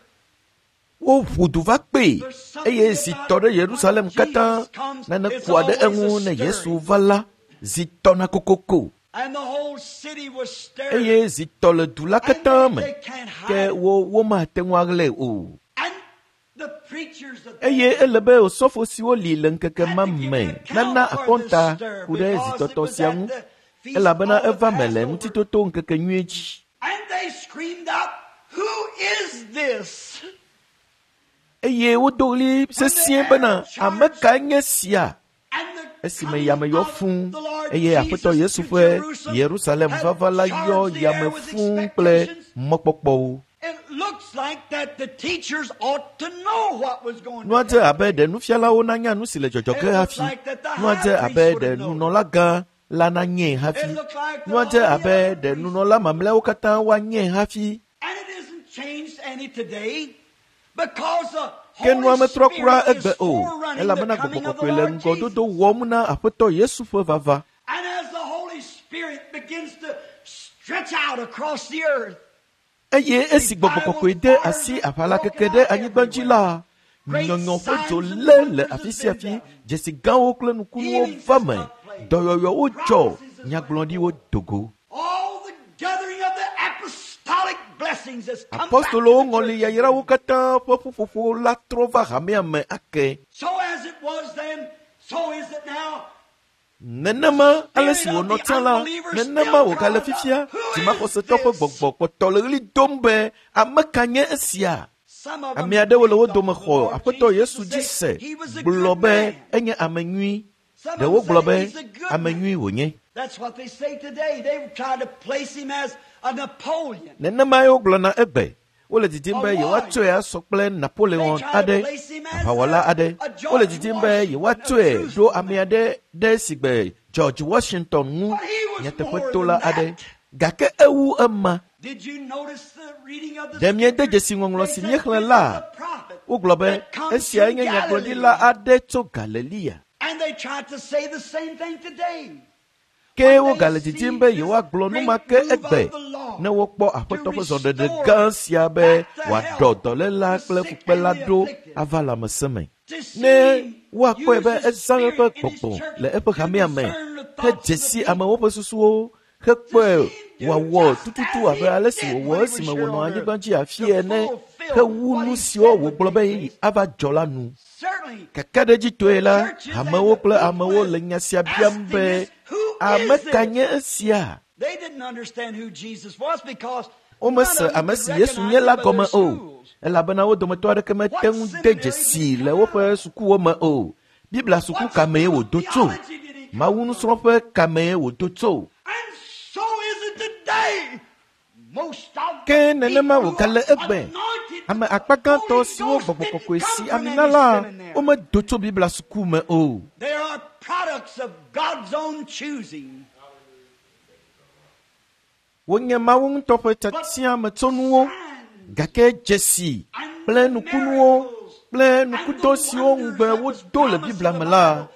Woʋu du va kpee eye zi tɔ ɖe Yerusalem katã. Nane kua ɖe eŋu ne Yesu va la, zi tɔna kokoko. And the whole city was stirred. Eye zi tɔ le du la katã me, ke wo womate ŋu aɣlae o. And the preachers of Eye ele be osɔfo siwo li le ŋkeke ma me nana akɔnta ku ɖe zitɔtɔ sia ŋu, elabena eva me le ŋutitoto ŋkeke nyui dzi. And they screamed out, "Who is this?" Eye wodo ɣli sesĩe bena, ame kae nye sia? And the Esime yame yɔ fũu the Lord eye Aƒetɔ Jesus Yesu to ƒe Jerusalem Yerusalem had vava la yɔ charged the air yame with fũu kple expectations. mɔkpɔkpɔwo. It looks like that the teachers ought to know what was going Nua to dze take abe ɖe nufialawo nanya nu si le dzɔdzɔ ge It looks hafi. like that the Nua high dze priest abe would ɖe have known. nunɔlagã la nanyae hafi. It looked like the Nua dze all the abe other ɖe priests. nunɔla mamlɛawo katã woanyae hafi. And it isn't changed any today because the Ke nua Holy metrɔ kura Spirit is egbe o, forerunning the elabena coming Gbɔgbɔ of the Kɔkɔe le Lord ŋgɔdodo Jesus. wɔm na Aƒetɔ Yesu ƒe vava. And as the Holy Spirit begins to stretch out across the earth, Eye esi Gbɔgbɔ Kɔkɔe de asi aʋala keke ɖe anyigba dzi la, nyɔnyɔ ƒe dzo lé le afi sia afi, dzesi gãwo kple nukunuwo va me, dɔyɔyɔwo dzɔ, nyagblɔɖiwo do go. all the gathering of the apostolic blessing Apostolowo ŋɔli yayrawo katã ƒe ƒuƒoƒo la trɔ va hamea me ake. Nenema ale si wònɔ tsã la, nenema wògale fifia. Dzimaxɔsetɔ ƒe gbɔgbɔ kpɔtɔ le ɣli dom be ame ka nye esia? Ame aɖewo le wo dome xɔ Aƒetɔ Yesu dzi se gblɔ be enye ame nyui. Ɖewo gblɔ be ame nyui wònye. Nenemae wogblɔna egbe. Wole didim be yewoatsɔe asɔ kple Napoleon aɖe, aʋawɔla aɖe. Wole didim be yewoatsɔe ɖo ame aɖe ɖe sigbe George Washington ŋu, nyateƒetola aɖe. Gake ewu ema. Ɖe miede dzesi ŋɔŋlɔ si míexlẽ la? Wogblɔ be esiae nye nyagblɔɖila aɖe tso Galilea. Ke wogale didim be yewoagblɔ nu ma ke egbe ne wokpɔ Aƒetɔ ƒe zɔɖeɖe gã sia be wòaɖɔ dɔléla kple fukpela ɖo ava lãmesẽ me. Ne woakpɔe be ezã eƒe gbɔgbɔ le eƒe hamea me hedze si amewo ƒe susuwo hekpɔe wòawɔ tututu abe ale si wòwɔ esime wònɔ anyigba dzi afi ene hewu nu siwo wògblɔ be ava dzɔ la nu. Kakaɖedzitɔe la, hamewo kple amewo le nya sia biam be ame ka nye esia? Womese ame si Yesu nye la gɔme o, elabena wo dometɔ aɖeke mete ŋu de dzesi le woƒe sukuwo me o. Biblia suku ka mee wòdo tso? Mawu nusrɔ̃ƒe ka mee wòdo tso? Ke nenema wògale egbe. Ame akpa gãtɔ siwo gbɔgbɔ kɔkɔe si ami na la, womedo tso Biblia suku me o. Wonye Mawu ŋutɔ ƒe tiatiametsonuwo, gake dzesi kple nukunuwo kple nukudɔ siwo ŋugbe wodo le Biblia me la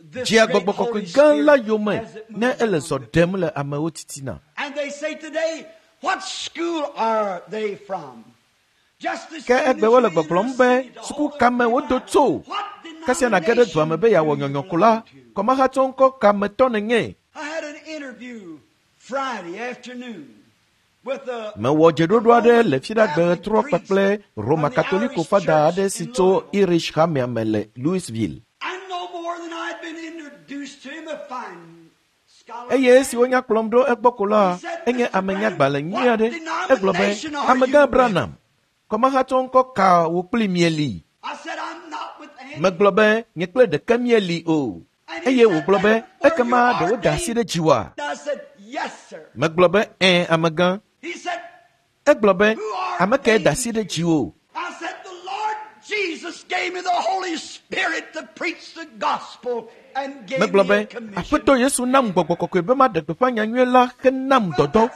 dzea gbɔgbɔ kɔkɔe gã la yome ne ele zɔ ɖem le amewo titina. Ke egbe wole gbɔgblɔm be suku ka me wodo tso? Kasia nàge ɖe dua me be yeawɔ nyɔnyɔ ko la, kɔmahatsɔ ŋkɔ ka me tɔ nènye? Mewɔ dzeɖoɖo aɖe le Fiɖagbe ɣetrɔ kpakple Roma Katoliko fada aɖe si tso Irish hamea me le Louisville. Eye esi wonya kplɔm ɖo egbɔ ko la, enye amenyagbalẽ nyui aɖe. Egblɔ be, Amegã Branham, kɔmahatsɔ ŋkɔ ka wò kpli mieli? Megblɔ be, nye kple ɖeke mieli o. Eye wògblɔ be, ekema ɖe woda asi ɖe dziwòa? Megblɔ be, ɛ̃, amegã. Egblɔ be, ame kae da asi ɖe dziwò? Megblɔ be, Aƒetɔ Yesu nam gbɔgbɔ kɔkɔe be maɖe gbeƒã nyanyui la henam dɔdɔ.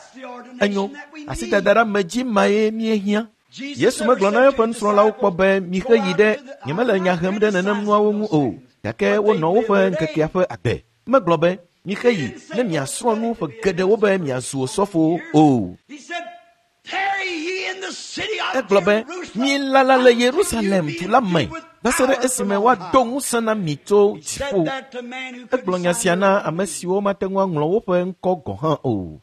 Enyo, asidada ɖe ame dzi mae míehiã. Yesu megblɔ na eƒe nusrɔ̃lawo kpɔ be mixe yi ɖe nyemele nya hem ɖe nenem nuawo ŋu o, gake wonɔ woƒe ŋkekea ƒe agbe. Megblɔ be mixe yi ne miasrɔ̃ nu ƒe geɖewo be miazu osɔfowo o. Egblɔ be milala le Yerusalem du la me va se ɖe esime woado ŋusẽ na mi tso dziƒo. Egblɔ nya sia na ame siwo mate ŋu aŋlɔ woƒe ŋkɔ gɔ̃ hã o.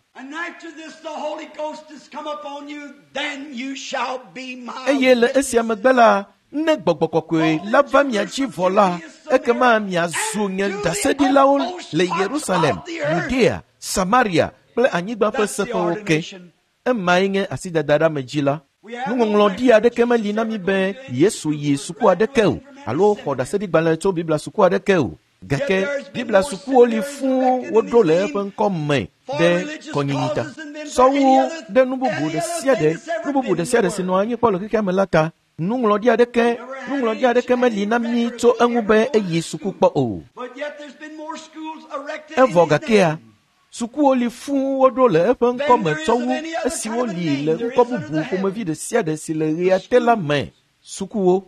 Eye le esia megbe la, ne gbɔgbɔ kɔkɔe la va mia dzi vɔ la, ekema miazu nye ɖaseɖilawo le Yerusalem, Yudea, Samaria kple anyigba ƒe seƒewo ke. Emae nye asidada ɖe ame dzi la. Nuŋɔŋlɔɖi aɖeke meli na mi be Yesu yi suku aɖeke o alo xɔ ɖaseɖigbalẽ tso Biblia suku aɖeke o. Gake Biblia sukuwo li fũu woɖo le eƒe ŋkɔ me ɖe kɔnyinyi ta. Sɔwo ɖe nu bubu ɖe sia ɖe, nu bubu ɖe sia ɖe si nɔ anyi kpɔ le xexea me la ta. Nuŋlɔɖi aɖeke, nuŋlɔɖi aɖeke meli na mi tso eŋu be eyi suku kpɔ o. Evɔ gakea, sukuwo li fũu woɖo le eƒe ŋkɔ me tsɔ wu esiwo li le ŋkɔ bubu ƒomevi ɖe sia ɖe si le ɣea te la me. Sukuwo.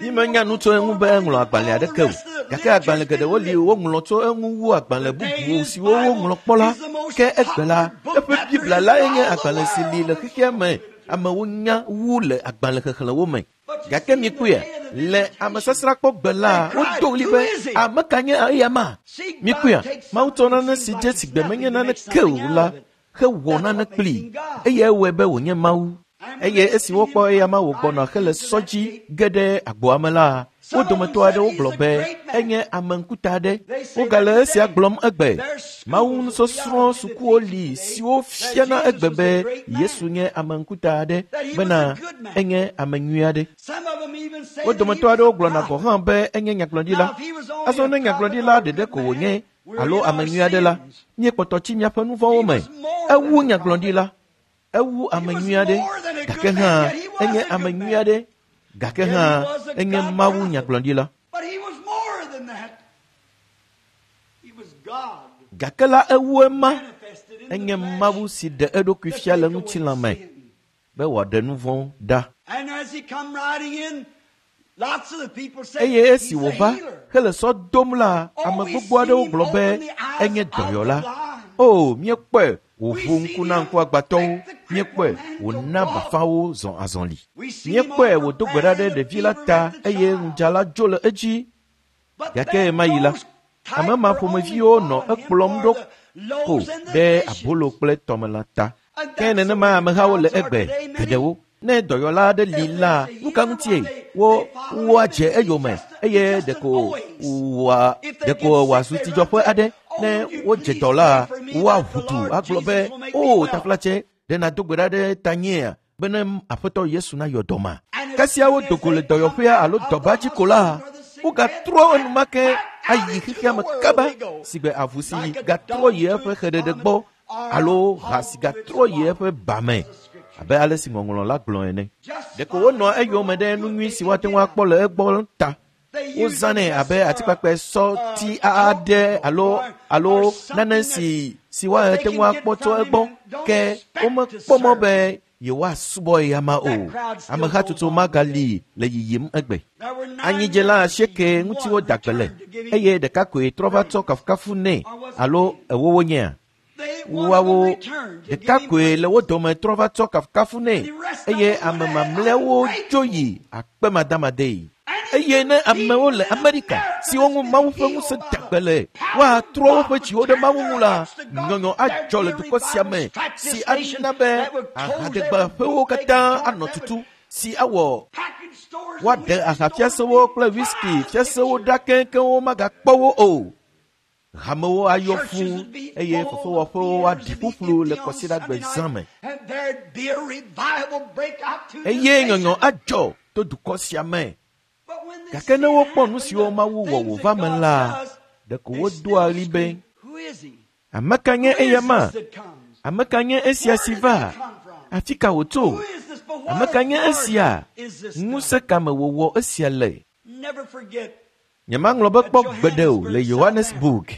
Mímenya nu tso eŋu be eŋlɔ agbalẽ aɖeke o, gake agbalẽ geɖewo li woŋlɔ tso eŋu wu agbalẽ bubu siwo woŋlɔ kpɔ la. Ke egbe la, eƒe Biblia lae nye agbalẽ si li le xexea me amewo nya wu le agbalẽ xexlẽwo me. Gake mikpɔe, le amesasrakpɔgbe la, wodo ɣli be ame ka nye eya ma? Mikpɔe, Mawu tsɔ nane si dze si gbe menye naneke o la, hewɔ nane kplii eye ewɔe be wònye Mawu. Eye esi wokpɔ eyama wògbɔna hele sɔ dzi ge ɖe agboa me la, wo dometɔ aɖewo gblɔ be enye ame ŋkuta aɖe. Wogale esia gblɔm egbe. Mawu nusɔsrɔ̃ sukuwo li siwo fiana egbe be Yesu nye ame ŋkuta aɖe bena enye ame nyui aɖe. Wo dometɔ aɖewo gblɔna gɔ̃ hã be enye nyagblɔɖila. Azɔ ne nyagblɔɖila ɖeɖe ko wònye alo ame nyui aɖe la, míekpɔtɔ tsi míaƒe nu vɔ̃wo me. Ewu nyagblɔɖila. Ewu ame nyui aɖe, gake hã enye ame nyui aɖe, gake hã enye Mawu nyagblɔɖila. Gake la ewu ema, enye Mawu si ɖe eɖokui fia le ŋutilã me be wòaɖe nu vɔ̃ ɖa. Eye esi wòva hele sɔ dom la, ame gbogbo aɖewo gblɔ be enye dɔyɔla. O, míekpɔe wòʋu ŋku na ŋkuagbãtɔwo, míekpɔe wòna bafawo zɔ azɔli. Míekpɔe wòdo gbe ɖa ɖe ɖevi la ta eye ŋudzala dzo le edzi. Gake ɣemaɣi la, ame ma ƒomeviwo nɔ ekplɔm ɖo ko ɖe abolo kple tɔmelã ta. Ke nenema amehawo le egbe geɖewo. Ne dɔyɔla aɖe li la, nu ka ŋutie wo woadze eyome eye ɖeko wòa ɖeko wòazu tsidzɔƒe aɖe. Ne wodze dɔ la, woaʋu du agblɔ be, o taflatse, ɖe nàdo gbe ɖa ɖe tanyea bene Aƒetɔ Yesu nayɔ dɔ ma. Kasia wodo go le dɔyɔƒea alo dɔba dzi ko la, wogatrɔ enumake ayi xexea me kaba sigbe avu si gatrɔ yi eƒe xeɖeɖe gbɔ alo ha si gatrɔ yi eƒe ba me abe ale si ŋɔŋlɔ la gblɔ ene. Ɖeko wonɔa eyome ɖe nu nyui si woate ŋu akpɔ le egbɔ ta. Wozãnɛ abe atikpakpɛ sɔti aɖe alo alo nane si si woate ŋu akpɔ tso egbɔ ke womekpɔ mɔ be yewoasubɔ eyama o. Amehatsotso magali le yiyim egbe. Anyidzela asieke ŋuti woda gbe le eye ɖeka koe trɔ va tsɔ kafukafu nɛ alo ewo wonyea? Woawo ɖeka koe le wo dome trɔ va tsɔ kafukafu nɛ eye ame mamlɛawo dzo yi akpemadamadee. Eye ne amewo le Amerika siwo ŋu Mawu ƒe ŋusẽ da gbe le, woatrɔ woƒe dziwo ɖe Mawu ŋu la, nyɔnyɔ adzɔ le dukɔ sia me si ana be ahadegbaƒewo katã anɔ tutu, si awɔ woaɖe ahafiasewo kple whisky fiasewo ɖa keŋkeŋ magakpɔ wo o. Hamewo ayɔ fũ eye fefewɔƒewo aɖi ƒuƒlu le kɔsiɖagbe zã me. Eye nyɔnyɔ adzɔ to dukɔ sia me. Gake ne wokpɔ nu siwo Mawu wɔ wòva me la, ɖeko wodoa ɣli be, ame ka nye eyama? Ame ka nye esia si va? Afi ka wòtso? Ame ka nye esia? Ŋusẽ ka me wòwɔ esia le? Nyemaŋlɔ be kpɔ gbeɖe o le Johannesburg,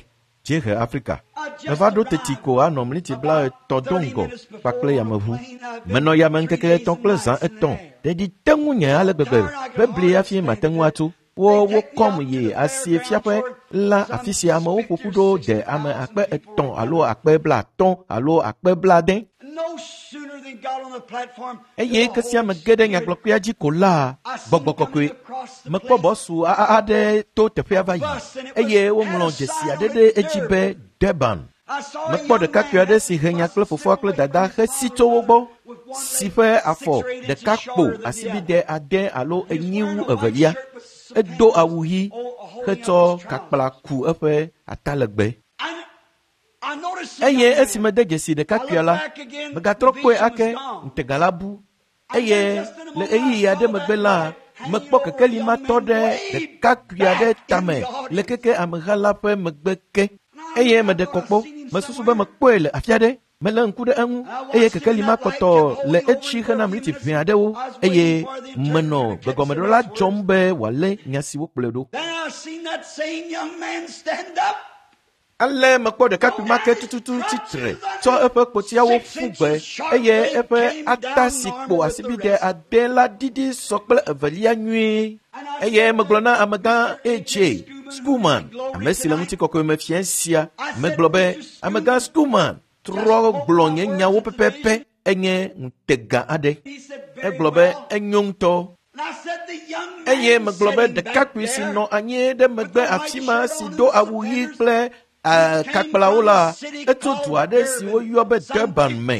Dziehe Afrika. Meva ɖo teti ko anɔ mliti blaetɔ̃ do ŋgɔ kpakple yameʋu. Menɔ yame ŋkeke etɔ̃ kple zã etɔ̃. Ɖeɖi te ŋunye ale gbegbe be bli hafi mate ŋu atso. Wo wokɔm yi asie fiaƒe la afi sia amewo ƒo ƒu ɖo de ame akpe etɔ̃ alo akpe blaatɔ̃ alo akpe blaade. Eye kesia me ge ɖe nyagblɔkpea dzi ko la, gbɔgbɔ kɔkɔe mekpɔ bɔsu aɖe to teƒea va yi eye woŋlɔ dzesi aɖe ɖe edzi be Durban. Mekpɔ ɖekakpui aɖe si he nya kple fofoa kple dada hesi tso wo gbɔ si ƒe afɔ ɖeka kpo asibide ade alo enyi wu evelia. Edo awu ɣi hetsɔ kakpla ku eƒe atalegbe. Eye esi mede dzesi ɖekakpuia la, megatrɔ kpɔe ake ŋutega la bu. Eye le ɣeyiɣi aɖe megbe la, mekpɔ kekeli ma tɔ ɖe ɖekakpui aɖe tame le keke ameha la ƒe megbe ke. Eye meɖe kɔkpɔ, mesusu be mekpɔe le afi aɖe. Melé ŋku ɖe eŋu eye kekeli ma kpɔtɔ le etsi hena mliti ʋɛ aɖewo eye menɔ gbegɔmeɖela dzɔm be wòalé nya si wokplɔe ɖo. Ale mekpɔ ɖekakpui ma ke tututu tsitre tsɔ eƒe kpotiawo ƒu gbe eye eƒe ata si kpo asibide ade la ɖiɖi sɔ kple evelia nyuie. Eye megblɔ na amegã A J Schoolman, ame si le ŋutikɔkɔe me fia sia, megblɔ be, amegã Schoolman, trɔ gblɔ nye nyawo pɛpɛpɛ enye ŋutega aɖe. Egblɔ be enyo ŋutɔ. Eye megblɔ be ɖekakpui si nɔ anyi ɖe megbe afi ma si do awu ɣi kple Kakplawo la, etso du aɖe si woyɔ be Durban me,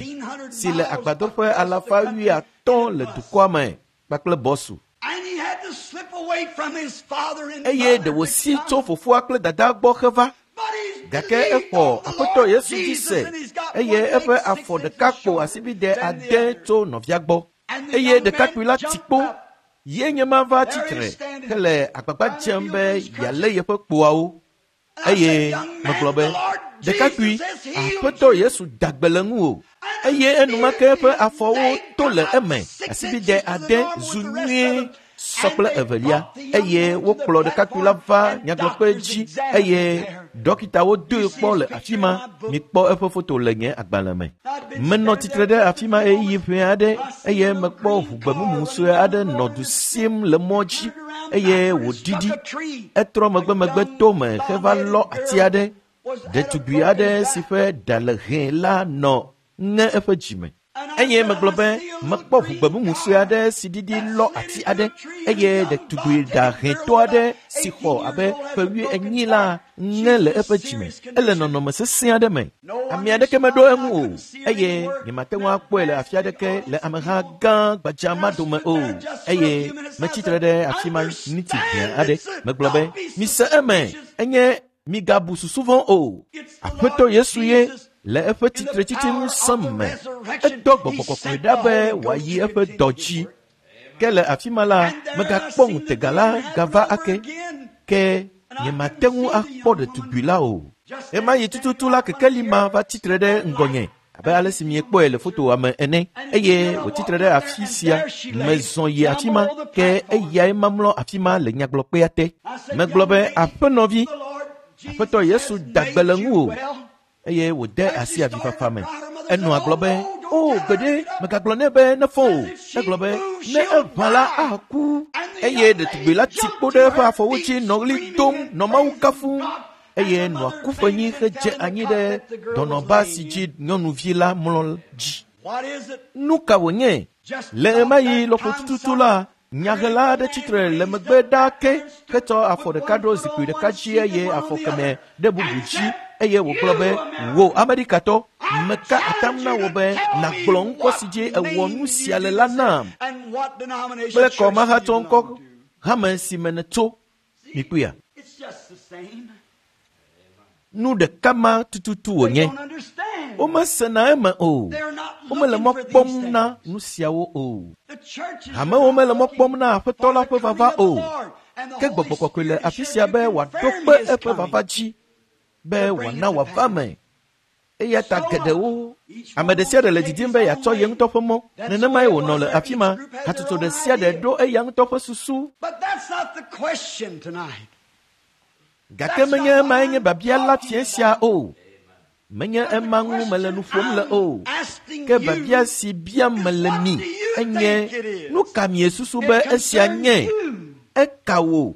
si le agbadɔƒe alafa wuiatɔ̃ le dukɔa me kpakple bɔsu. Eye ɖe wòsi tso fofoa kple dadaa gbɔ heva. Gake exɔ Aƒetɔ Yesu dzi se eye eƒe afɔ ɖeka kpo asibide ade tso nɔvia gbɔ. Eye ɖekakpui la tsi kpo ye nye ma va tsitre hele agbagba dzem be yealé yeƒe kpoawo. Eye megblɔ be, ɖekakpui, Aƒetɔ Yesu da gbe le ŋuwò. Eye enumake eƒe afɔwo to le eme asibide ade zu nyuie sɔ kple evelia. Eye wokplɔ ɖekakpui la va nyagblɔkpe dzi eye dɔkitawo doe kpɔ le afi ma. Mikpɔ eƒe foto le nye agbalẽ me. Menɔ tsitre ɖe afi ma ɣeyiɣi ʋɛ aɖe eye mekpɔ ʋu gbemumu sue aɖe nɔ du sim le mɔ dzi eye wòɖiɖi. Etrɔ megbemegbe to me heva lɔ ati aɖe. Ɖetugbi aɖe si ƒe ɖa le hɛ̃ la nɔ ŋe eƒe dzime. Eye megblɔ be mekpɔ ʋu gbemumu sue aɖe si ɖiɖi lɔ ati aɖe eye ɖetugbi ɖa hɛ̃tɔ aɖe si xɔ abe ƒe wuienyi la ŋe le eƒe dzime. Ele nɔnɔme sesẽ aɖe me. Ame aɖeke meɖo eŋu o eye nyemate ŋu akpɔe le afi aɖeke le ameha gã gbadza ma dome o. Eye metsitre ɖe afi ma ŋuti ʋɛ aɖe. Megblɔ be, mise eme, enye migabu susu vɔ̃ o. Aƒetɔ Yesu ye le eƒe tsitretsitsi ŋusẽ me. Edɔ gbɔgbɔ kɔkɔe ɖa be wòayi eƒe dɔ dzi. Ke le afi ma la, megakpɔ ŋutega la gava ake. Ke nyemate ŋu akpɔ ɖetugbi la o. Ɣemaɣi tututu la kekeli ma va tsitre ɖe ŋgɔnye abe ale si miekpɔe le fotoa me ene. Eye wòtsitre ɖe afi sia. Mezɔ yi afi ma, ke eyae mamlɔ afi ma le nyagblɔkpea te. Megblɔ be, aƒenɔvi, Aƒetɔ Yesu da gbe le ŋuwò. Eye wòde asi avifafa me. Enɔa gblɔ be, o gbeɖe, megagblɔ nɛ be nefɔ o. Egblɔ be, ne eʋã la aku. Eye ɖetugbi la tsi kpo ɖe eƒe afɔwo dzi nɔ ɣli dom nɔ Mawu kafum. Eye nɔa ku ƒenyi hedze anyi ɖe dɔnɔba si dzi nyɔnuvi la mlɔ dzi. Nu ka wònye? Le ɣemaɣi lɔƒo tututu la, nyahela aɖe tsitre le megbe ɖaa ke hetsɔ afɔ ɖeka ɖo zikpui ɖeka dzi eye afɔ kemɛ ɖe bubu dzi. Eye wògblɔ be, wò Amerikatɔ, meka atam na wò be nàgblɔ ŋkɔ si dzi ewɔ nu sia le la nam kple kɔmahatsɔ ŋkɔ hame si me nètso. Mikpɔea? Nu ɖeka ma tututu wònye. Womesena eme o. Womele mɔ kpɔm na nu siawo o. Hamewo mele mɔ kpɔm na Aƒetɔ la ƒe vava o. Ke gbɔgbɔ kɔkɔe le afi sia be wòaɖo kpe eƒe vava dzi be wòana wòava me. Eya ta geɖewo, ame ɖe sia ɖe le didim be yeatsɔ ye ŋutɔ ƒe mɔ. Nenemae wònɔ le afi ma. Hatsotso ɖe sia ɖe ɖo eya ŋutɔ ƒe susu. Gake menye emae nye biabia la fiẽ sia o. Menye ema ŋu mele nu ƒom le o. Ke biabia si biam mele mi enye, nu ka miesusu be esia nye? Eka wò.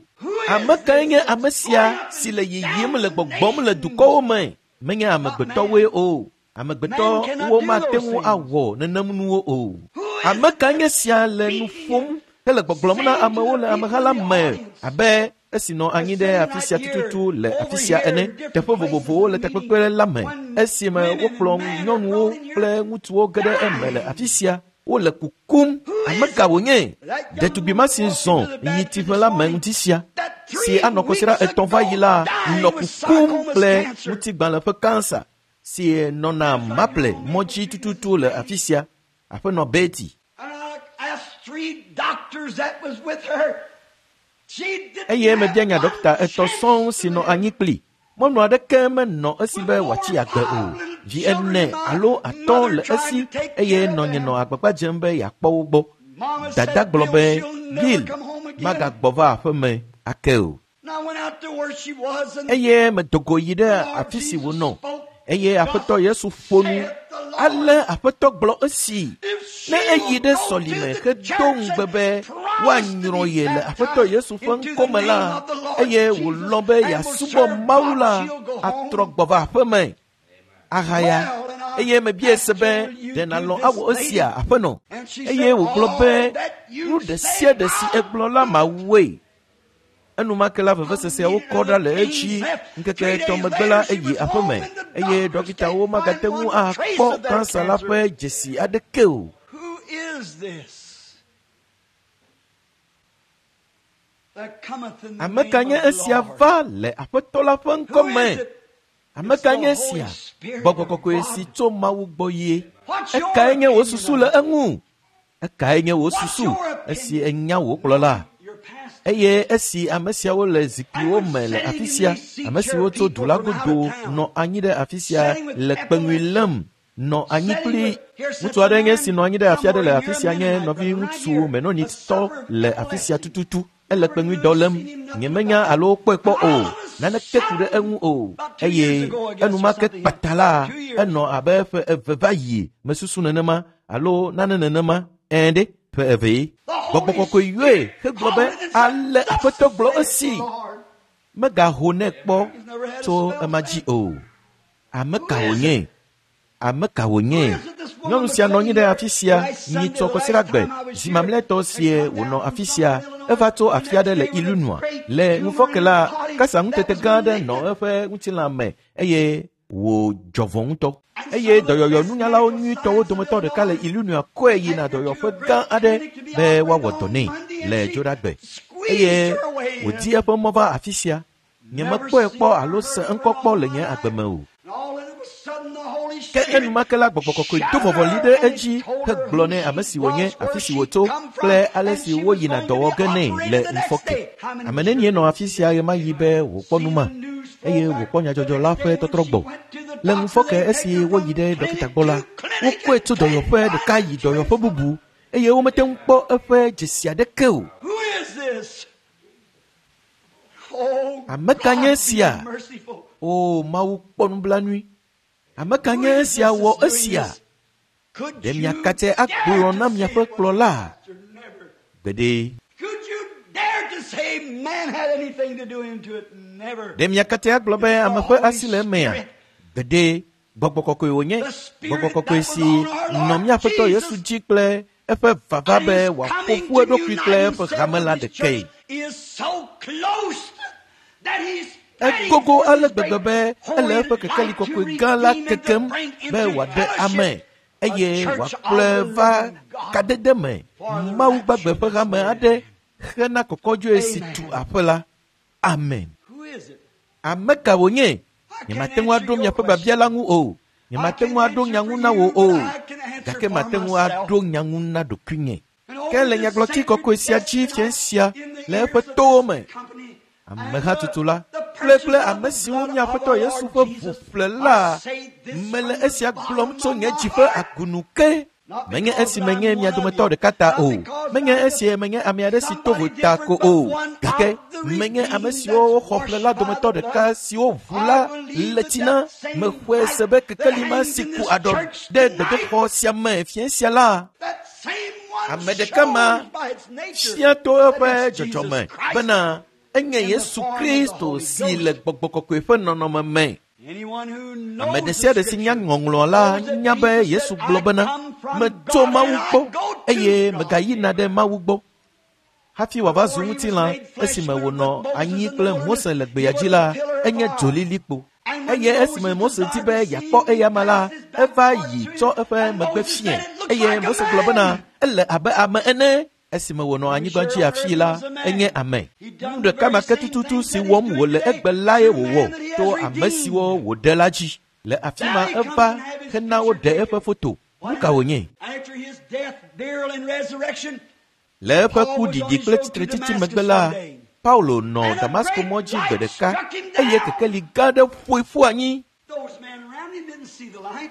Ame kae nye ame sia si le yiyim le gbɔgbɔm le dukɔwo me? Menye amegbetɔwoe o. Amegbetɔwo mate ŋu awɔ nenem nuwo o. Ame kae nye sia le nu ƒom hele gbɔgblɔm na amewo le ameha la me abe esi nɔ anyi ɖe afi sia tututu le afi sia ene, teƒe vovovowo le takpekpe la me, esime wokplɔ nyɔnuwo kple ŋutsuwo ge ɖe eme le afi sia, wole kukum. Ame ka wònye? Ɖetugbi ma si zɔ yi tsiƒe la me ŋuti sia, si anɔ kɔsiɖa etɔ̃ va yi la, nɔ kukum kple ŋutigbalẽ ƒe kansa si nɔna Maple mɔ dzi tututu le afi sia, aƒenɔ Betty. Eye mebia nya dɔkta etɔ̃ sɔŋ si nɔ anyi kpli. Mɔnu aɖeke menɔ esi be wòatsi agbe o. Vi ene alo atɔ̃ le esi eye nɔnye nɔ agbagba dzem be yeakpɔ wo gbɔ. Dada gblɔ be, Bill magagbɔ va aƒeme ake o. Eye medo go yi ɖe afi si wònɔ. Eye Aƒetɔ Yesu ƒo nu. Ale Aƒetɔ gblɔ esi, ne eyi ɖe sɔlime hedo ŋugbe be woanyrɔ ye le Aƒetɔ Yesu ƒe ŋkɔme la, eye wòlɔ̃ be yeasubɔ Mawu la, atrɔ gbɔ va aƒeme ahaya. Eye mebia se be, ɖe nàlɔ̃ awɔ esia, aƒenɔ? Eye wògblɔ be, nu ɖe sia ɖe si egblɔ la mawɔe. Enumake la veveseseawo kɔ ɖa le edzi. Ŋkeke etɔ̃ megbe la eyi aƒeme eye dɔkitawo magate ŋu akpɔ kansa la ƒe dzesi aɖeke o. Who is this that cometh in the Ame ka name nye of the esia Lord? va le Aƒetɔ la ƒe Who ŋkɔme? is it? Ame ka nye esia? Gbɔgbɔ kɔkɔe si tso Mawu gbɔ ye. Ekae nye wò susu le eŋu? Ekae nye wò susu esi enya wò kplɔla? Your pastor. Eye esi ame siawo le zikpuiwo me le afi sia, ame siwo tso du la godo nɔ anyi ɖe afi sia le kpeŋui lém nɔ anyi kpli ŋutsu aɖe nye si nɔ anyi ɖe afi aɖe le afi sia nye nɔviŋutsu menonitɔ le afi sia tututu. Ele kpeŋui dɔ lém. Nyemenya alo kpɔe kpɔ o. Naneke ku ɖe eŋu o. Eye enumake kpata la, enɔ abe ƒe eve va yi mesusu nenema alo nane nenema. Ɛ̃ ɖe ƒe evee. Gbɔgbɔ kɔkɔe yɔe hegblɔ be ale Aƒetɔ gblɔ esi. Megaho nɛ kpɔ tso ema dzi o. Ame ka wònye? Ame ka wònye? Nyɔnu sia nɔ anyi ɖe afi sia nyitsɔ kɔsiɖagbe zi mamlɛtɔ sie wònɔ afi sia. Eva tso afi aɖe le Illinois. Le ŋufɔke la, kasa ŋutete gã aɖe nɔ eƒe ŋutilã me eye wòdzɔ vɔ ŋutɔ. Eye dɔyɔyɔ nunyalawo nyuitɔwo dometɔ ɖeka le Illinois kɔe yina dɔyɔƒe gã aɖe be woawɔ dɔ nɛ le Dzoɖagbe. Eye wòdi eƒe mɔ va afi sia. Nyemekpɔe kpɔ alo se ŋkɔ kpɔ le nye agbe me o. And all of a sudden the Holy Ke Spirit enumake la gbɔgbɔ kɔkɔe do vɔvɔli ɖe edzi hegblɔ nɛ ame si wònye, afi si wòtso kple ale si woyina dɔ wɔ ge nɛ le ŋufɔke. Ame nenie nɔ afi sia ɣemaɣi be wòkpɔ nu ma eye wòkpɔ nyadzɔdzɔ la ƒe tɔtrɔ gbɔ. Le ŋufɔke esi woyi ɖe dɔkita gbɔ la, wokɔe tso dɔyɔƒe ɖeka yi dɔyɔƒe bubu eye womete ŋu kpɔ eƒe dzesi aɖeke o. Who is this? Oh, Ame ka nye God, esia? be merciful. O Mawu kpɔ nublanui. Ame ka Who nye is esia this wɔ that's doing esia? this? Could Ɖe you miakatse dare agblɔ to na say miaƒe it was kplɔla? pastor? Never. Gbeɖe. Could you dare to say man had anything to do into it? Never. Ɖe miakate agblɔ be ame ƒe asi le emea? Gbeɖe. Gbɔgbɔ kɔkɔe wònye. Gbɔgbɔ kɔkɔe si nɔ míaƒetɔ Yesu dzi kple eƒe vava be wòaƒo ƒu eɖokui kple eƒe hame la ɖekae. Is so close that he's ready Egogo for ale this gbegbe great be ele holy eƒe kekeli light to kɔkɔe gã la redeem and to kekem bring be into wòaɖe ame fellowship a eye church of wòakplɔe the va living God kadede me for the Mawu gbagbe rapture ƒe hame aɖe hena kɔkɔdzoe si tu aƒe la. Amen. Who is it? Ame ka wònye? I Nyemate can't ŋu answer aɖo your miaƒe question. biabia la ŋu o. I Nyemate can't ŋu aɖo answer nya for ŋu na you, wò but o. I can answer Gake for mate ŋu myself. aɖo nya ŋu na ɖokuinye. And Ke over le this nyagblɔti sacred kɔkɔe sia desk dzi fia tonight, sia in the le ears eƒe of towo this me, company and amehatutu the, la the kple kple purchase of ame the siwo blood mía of Aƒetɔ our Yesu Lord ƒe ʋu Jesus, ƒle I la, say this mele from the esia gblɔm bottom tso of nye my dzi ƒe heart. agunu ke. Not Menye because esi I'm menye one mia of dometɔ you, ɖeka ta not o. because Menye I'm esi menye ame aɖe si to somebody vo ta different, ko but o. one Gake of the menye ame redeemed siwo that's woxɔ ƒle la washed by dometɔ the ɖeka blood. siwo ʋu I la believe le that tsi na that same mexɔe light se be that kekeli ma hangs si in ku this aɖɔ church ɖe tonight, gbedoxɔ sia me fiẽ sia la, that same one ame ɖeka ma shows by its nature fia to that eƒe it's Jesus dzɔdzɔme Christ bena enye in the Yesu form of the Kristo Holy si le Ghost. gbɔgbɔ kɔkɔe ƒe nɔnɔme me. Anyone who Ame knows ɖe the sia ɖe si nya scripture ŋɔŋlɔ la knows that nya be Jesus Yesu said, gblɔ I bena come from metso God Mawu and I gbɔ go to eye God. megayina ɖe Mawu gbɔ. Hafi wòava zu Before he was ŋutilã made flesh esime with wònɔ Moses anyi in the kple wilderness, Mose le he gbea was dzi a la, pillar of enye fire. dzolilikpo. And when Eye esime Moses Mose di desired be to see yeakpɔ him, he eyama la, passed his back eva towards yi him. tsɔ eƒe And megbe Moses fiẽ. said, It looks Eye like a Mose gblɔ bena man. ele abe ame ene. Esime wònɔ We anyigba sure dzi heard afii he la, was a enye man. ame. He Nu done the ɖeka very ma ke same tututu things si that he's wɔm doing wòle today egbe lae through wòwɔ man that he to has ame siwo redeemed. wòɖe la dzi. Le afi Now ma he comes eva and have his hena picture woɖe taken. eƒe foto. Nu What ka wònye? After his death, burial, and resurrection, Le eƒe Paul ku was on ɖiɖi his kple road to tsitretsitsi Damascus megbe la, one day, Paulo nɔ and a Damasko great mɔ dzi gbe light ɖeka struck him eye down. kekeli gã aɖe ƒoe ƒu anyi. Those men around him didn't see the light,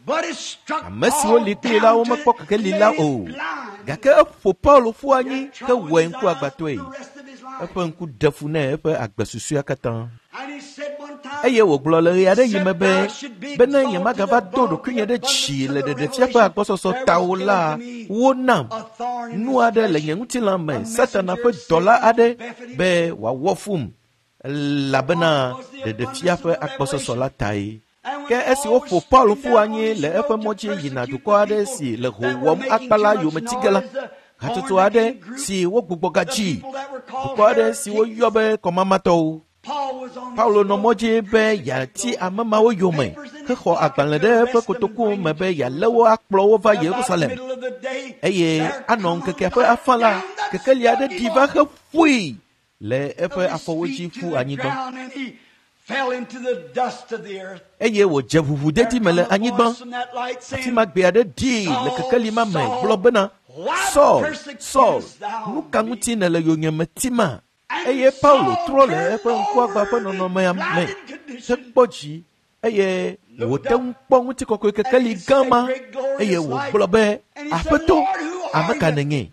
but it struck Ame siwo Paul li kplii la down to womekpɔ kekeli la made o. him blind. Gake eƒo Paulo ƒu He anyi had trouble hewɔe with his eyes for ŋkuagbãtɔe. the rest of his life. Eƒe ŋku ɖe fu nɛ eƒe agbe susɔea katã. And he said one time, Eye wògblɔ le ɣe aɖe yi me except be I should be bene exalted nyemagava do above the ɖokuinye ɖe abundance dzi of le the ɖeɖefia ƒe revelation, agbɔsɔsɔ there ta was o given la, to me wonam a thorn in nu the aɖe le flesh, nye ŋutilã me, a Satana messenger ƒe of dɔla Satan to aɖe buffet him. be wòawɔ fum elabena What was the ɖeɖefia abundance ƒe of the agbɔsɔsɔ revelation? la tae. And Ke when esi Paul was woƒo Paulo stricken ƒu down on anyi his le eƒe road mɔ to dzi yina persecute dukɔ the aɖe people si le ho that were wɔm making akpa too la much yometike la, noise, the hatsotso born aɖe again group, si wogbugbɔ the gadzi people that were Dukɔ aɖe si woyɔ be kɔmamatɔwo. Paulo nɔ mɔ dzi be yeati ame mawo yome hexɔ agbalẽ ɖe eƒe kotoku me be yealé wo akplɔ wo va Yerusalem. Eye anɔ ŋkekea ƒe afã la, kekeli aɖe ɖi va heƒoe le eƒe afɔwo dzi ƒu anyigba. Eye wòdze ʋuʋudedi me le anyigba. Afi ma gbe aɖe ɖii le kekeli ma me gblɔ bena, Saul, Saul, nu ka ŋuti nèle yonyeme tima? Eye Paulo trɔ le eƒe ŋkuagba ƒe nɔnɔmea me hekpɔ dzi eye wòte ŋu kpɔ ŋutikɔkɔe kekeli gã ma eye wògblɔ be, Aƒetɔ, ame ka nènye?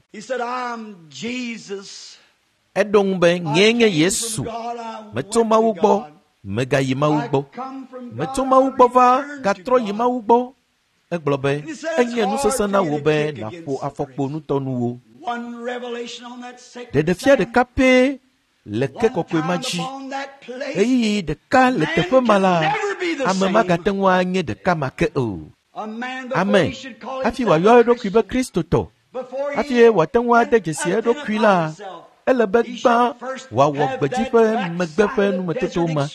Eɖo ŋu be, nyee nye Yesu. Metso Mawu gbɔ, megayi Mawu gbɔ. Metso Mawu gbɔ va gatrɔ yi Mawu gbɔ. Egblɔ be, enye nu sesẽ na wò be nàƒo afɔkpo nutɔnuwo. Ɖeɖefia ɖeka pɛ le ke kɔkɔe ma dzi. Ɣeyiɣi ɖeka le teƒe ma la, ame magate ŋu anye ɖeka ma ke o. Ame hafi wòayɔ eɖokui be Kristotɔ, hafi wòate ŋu ade dzesi eɖokui la, ele be gbã wòawɔ gbedzi ƒe megbe ƒe numetoto ma,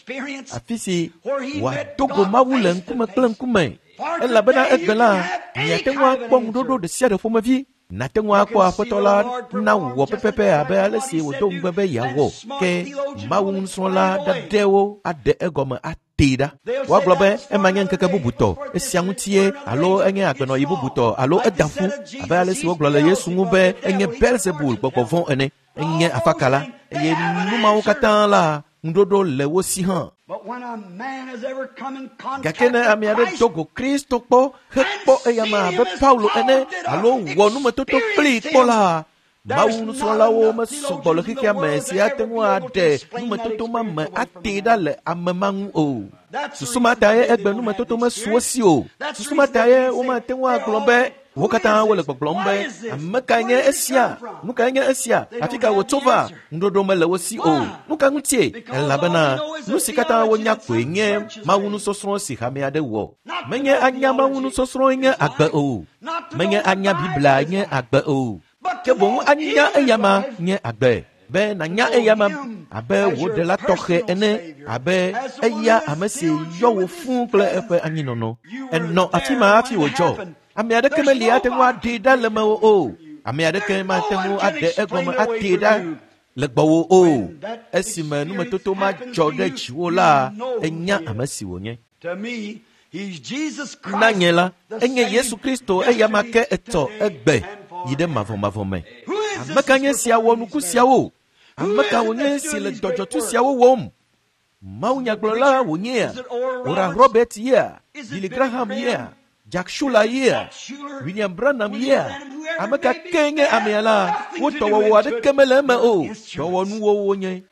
afi si wòado go Mawu le ŋkume kple ŋkume. Elabena egbe la, miate ŋu akpɔ ŋuɖoɖo ɖe sia ɖe ƒomevi. Nate ŋu akpɔ aƒetɔ la na wòwɔ pɛpɛpɛ abe ale si wòdo ŋugbe be yeawɔ. Ke Mawu nusrɔ̃la ɖaɖɛwo aɖe egɔme atee ɖa. Woagblɔ be ema nye ŋkeke bubutɔ, esia ŋutie alo enye agbenɔyi bubutɔ alo eda ƒu abe ale si wogblɔ le Yesu ŋu be enye Belzebul gbɔgbɔ vɔ̃ ene, enye afakala eye nu mawo katã la ŋuɖoɖo le wo si hã. Gake ne ame aɖe do go Kristo kpɔ hekpɔ eyama abe Paulo ene alo wɔ numetoto kplii kpɔ la, Mawu nusrɔ̃lawo mesɔgbɔ le xexea me si ate ŋu aɖe numetoto ma me atee ɖa le ame ma ŋu o. Susu ma tae egbe numetoto mesu wo si o. Susu ma tae womate ŋu agblɔ be wo katã wole gbɔgblɔm be ame kae nye esia? Nu kae nye esia? Afi ka wòtso va? Ŋuɖoɖo mele wo si o. Nu ka ŋutie? Elabena nu si katã wonya koe nye Mawu nusɔsrɔ̃ si hame aɖe wɔ. Menye anya Mawu nusɔsrɔ̃e nye agbe o. Menye anya Biblia nye agbe o. Ke boŋ anya eyama nye agbe. Be nànya eyama abe wò ɖela tɔxɛ ene, abe eya ame si yɔ wò fũu kple eƒe anyinɔnɔ. Enɔ afi ma hafi wòdzɔ. Ame aɖeke meli ate ŋu aɖee ɖa le mewò o. Ame aɖeke mate ŋu aɖe egɔme atee ɖa le gbɔwò o. Esime numetoto ma dzɔ ɖe dziwò la, enya ame si wònye. Na nye la, enye Yesu Kristo eyama ke etɔ egbe yi ɖe mavɔmavɔ me. Ame ka nye sia wɔ nuku siawo? Ame ka wònye si le dɔdzɔtu siawo wɔm? Mawu nyagblɔla wònyea? Oral Robert yea? Billy Graham yea? Jack Schuler yea? William Branham yea? Ame ka ke nye amea la, wo dɔwɔwɔ aɖeke mele eme o. Dɔwɔnuwo wonye.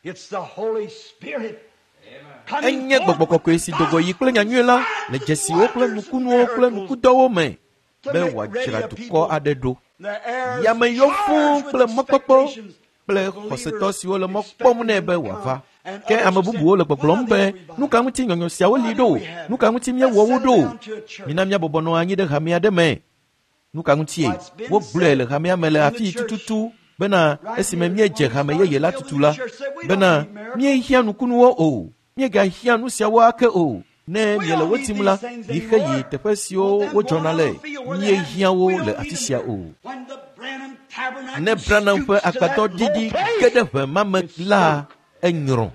Enye gbɔgbɔ kɔkɔe si do go yi kple nyanyui la le dzesiwo kple nukunuwo kple nukudɔwo me be wòadzra dukɔ aɖe ɖo. Yame yɔ fũu kple mɔkpɔkpɔ kple xɔsetɔ siwo le mɔ kpɔm nɛ be wòava. Ke ame bubuwo le gbɔgblɔm be nu ka ŋuti nyɔnyɔ siawo li ɖo? Nu ka ŋuti míewɔ wo ɖo? Mina míabɔbɔ nɔ anyi ɖe hame aɖe me. Nu ka ŋutie? Wogblɔe le hamea me le afii tututu bena esime míedze hame yeye la tutu la, bena míehiã nukunuwo o, míegahiã nu siawo ake o. Ne miele wo tim la, mixe yi teƒe siwo wodzɔna le, míehiã wo le afi sia o. Ne Branham ƒe agbadɔ ɖiɖi ge ɖe ʋe ma me la, enyrɔ.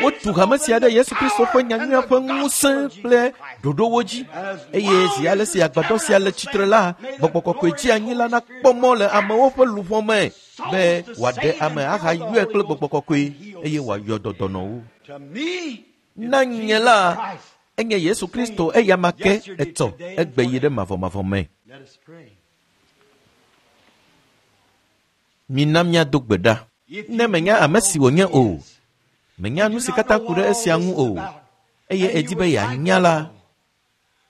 Wotu hame sia ɖe Yesu Kristo ƒe nyanyuia ƒe ŋusẽ kple ɖoɖowo dzi. Eye zi ale si agbadɔ sia le tsitre la, gbɔgbɔ kɔkɔe dzi anyi la nakpɔ mɔ le amewo ƒe luʋɔ me be wòaɖe ame ahayɔe kple gbɔgbɔ kɔkɔe eye wòayɔ dɔdɔnɔwo. Na nye la, enye Yesu Kristo eyama ke etɔ egbe yi ɖe mavɔmavɔ me. Mina míado gbe ɖa. Ne menya ame si wònye o, menya nu si katã ku ɖe esia ŋu o, eye edi be yeanya la,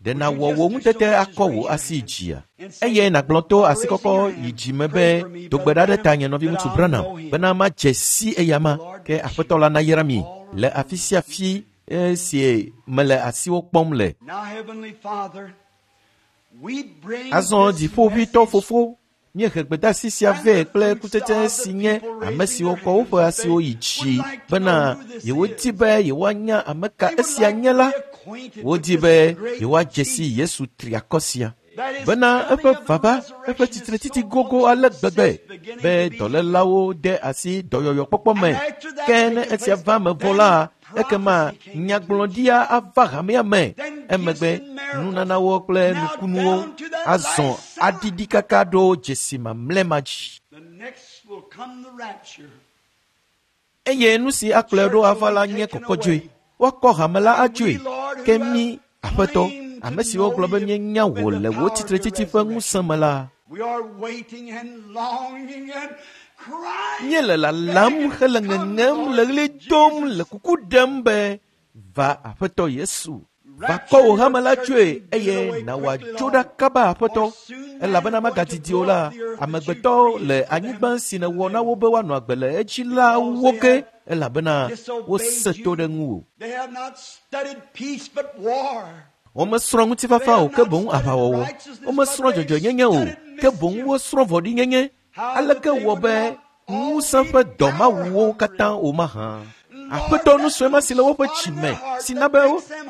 ɖe nàwɔ wò ŋutete akɔ wò asi dzia? Eye nàgblɔ to asikɔkɔ yi dzime be do gbe ɖa ɖe ta nye nɔviŋutsu Branham bena madze si eyama ke Aƒetɔ la nayra mi le afi sia fi esi mele asiwo kpɔm le. Azɔ dziƒoʋĩtɔ Fofo, Míehe gbedeasi sia vɛ kple kutsetse si nye ame siwo kɔ woƒe asiwo yi dzi bena yewodi be yewoanya ame ka esia nye la. Wodi be yewoadze si Yesu triakɔ sia. Bena eƒe vava, eƒe tsitretsitsi gogo ale gbegbe be dɔlélawo de asi dɔyɔyɔkpɔkpɔ me. Ke ne esia va eme vɔ la, ekema nyagblɔɖia ava hamea me. Emegbe nunanawo kple nukunuwo azɔ aɖiɖi kaka ɖo dzesi mamlɛ ma dzi. Eye nu si akplɔe ɖo ava la nye kɔkɔdzoe. Woakɔ hame la adzoe. Ke mí, Aƒetɔ, ame siwo gblɔ be míenya wò le wò tsitretsitsi ƒe ŋusẽ me la, míele lalam hele ŋeŋem le ɣli dom le kuku ɖem be va Aƒetɔ Yesu. Va kɔ wò hame la tsoe eye na wòadzo ɖa kaba Aƒetɔ, elabena magadidi o la, amegbetɔ le anyigba si nèwɔ na wo be woanɔ agbe le edzi la wo ke, elabena wose to ɖe ŋuwò. Womesrɔ̃ ŋutifafa o, ke boŋ aʋawɔwɔ. Womesrɔ̃ dzɔdzɔenyenye o, ke boŋ wosrɔ̃ vɔ̃ɖinyenye. Aleke wɔ be ŋusẽ ƒe dɔ mawu wo katã o mahã? Aƒetɔ, nu sue ma si le woƒe tsi me, si na be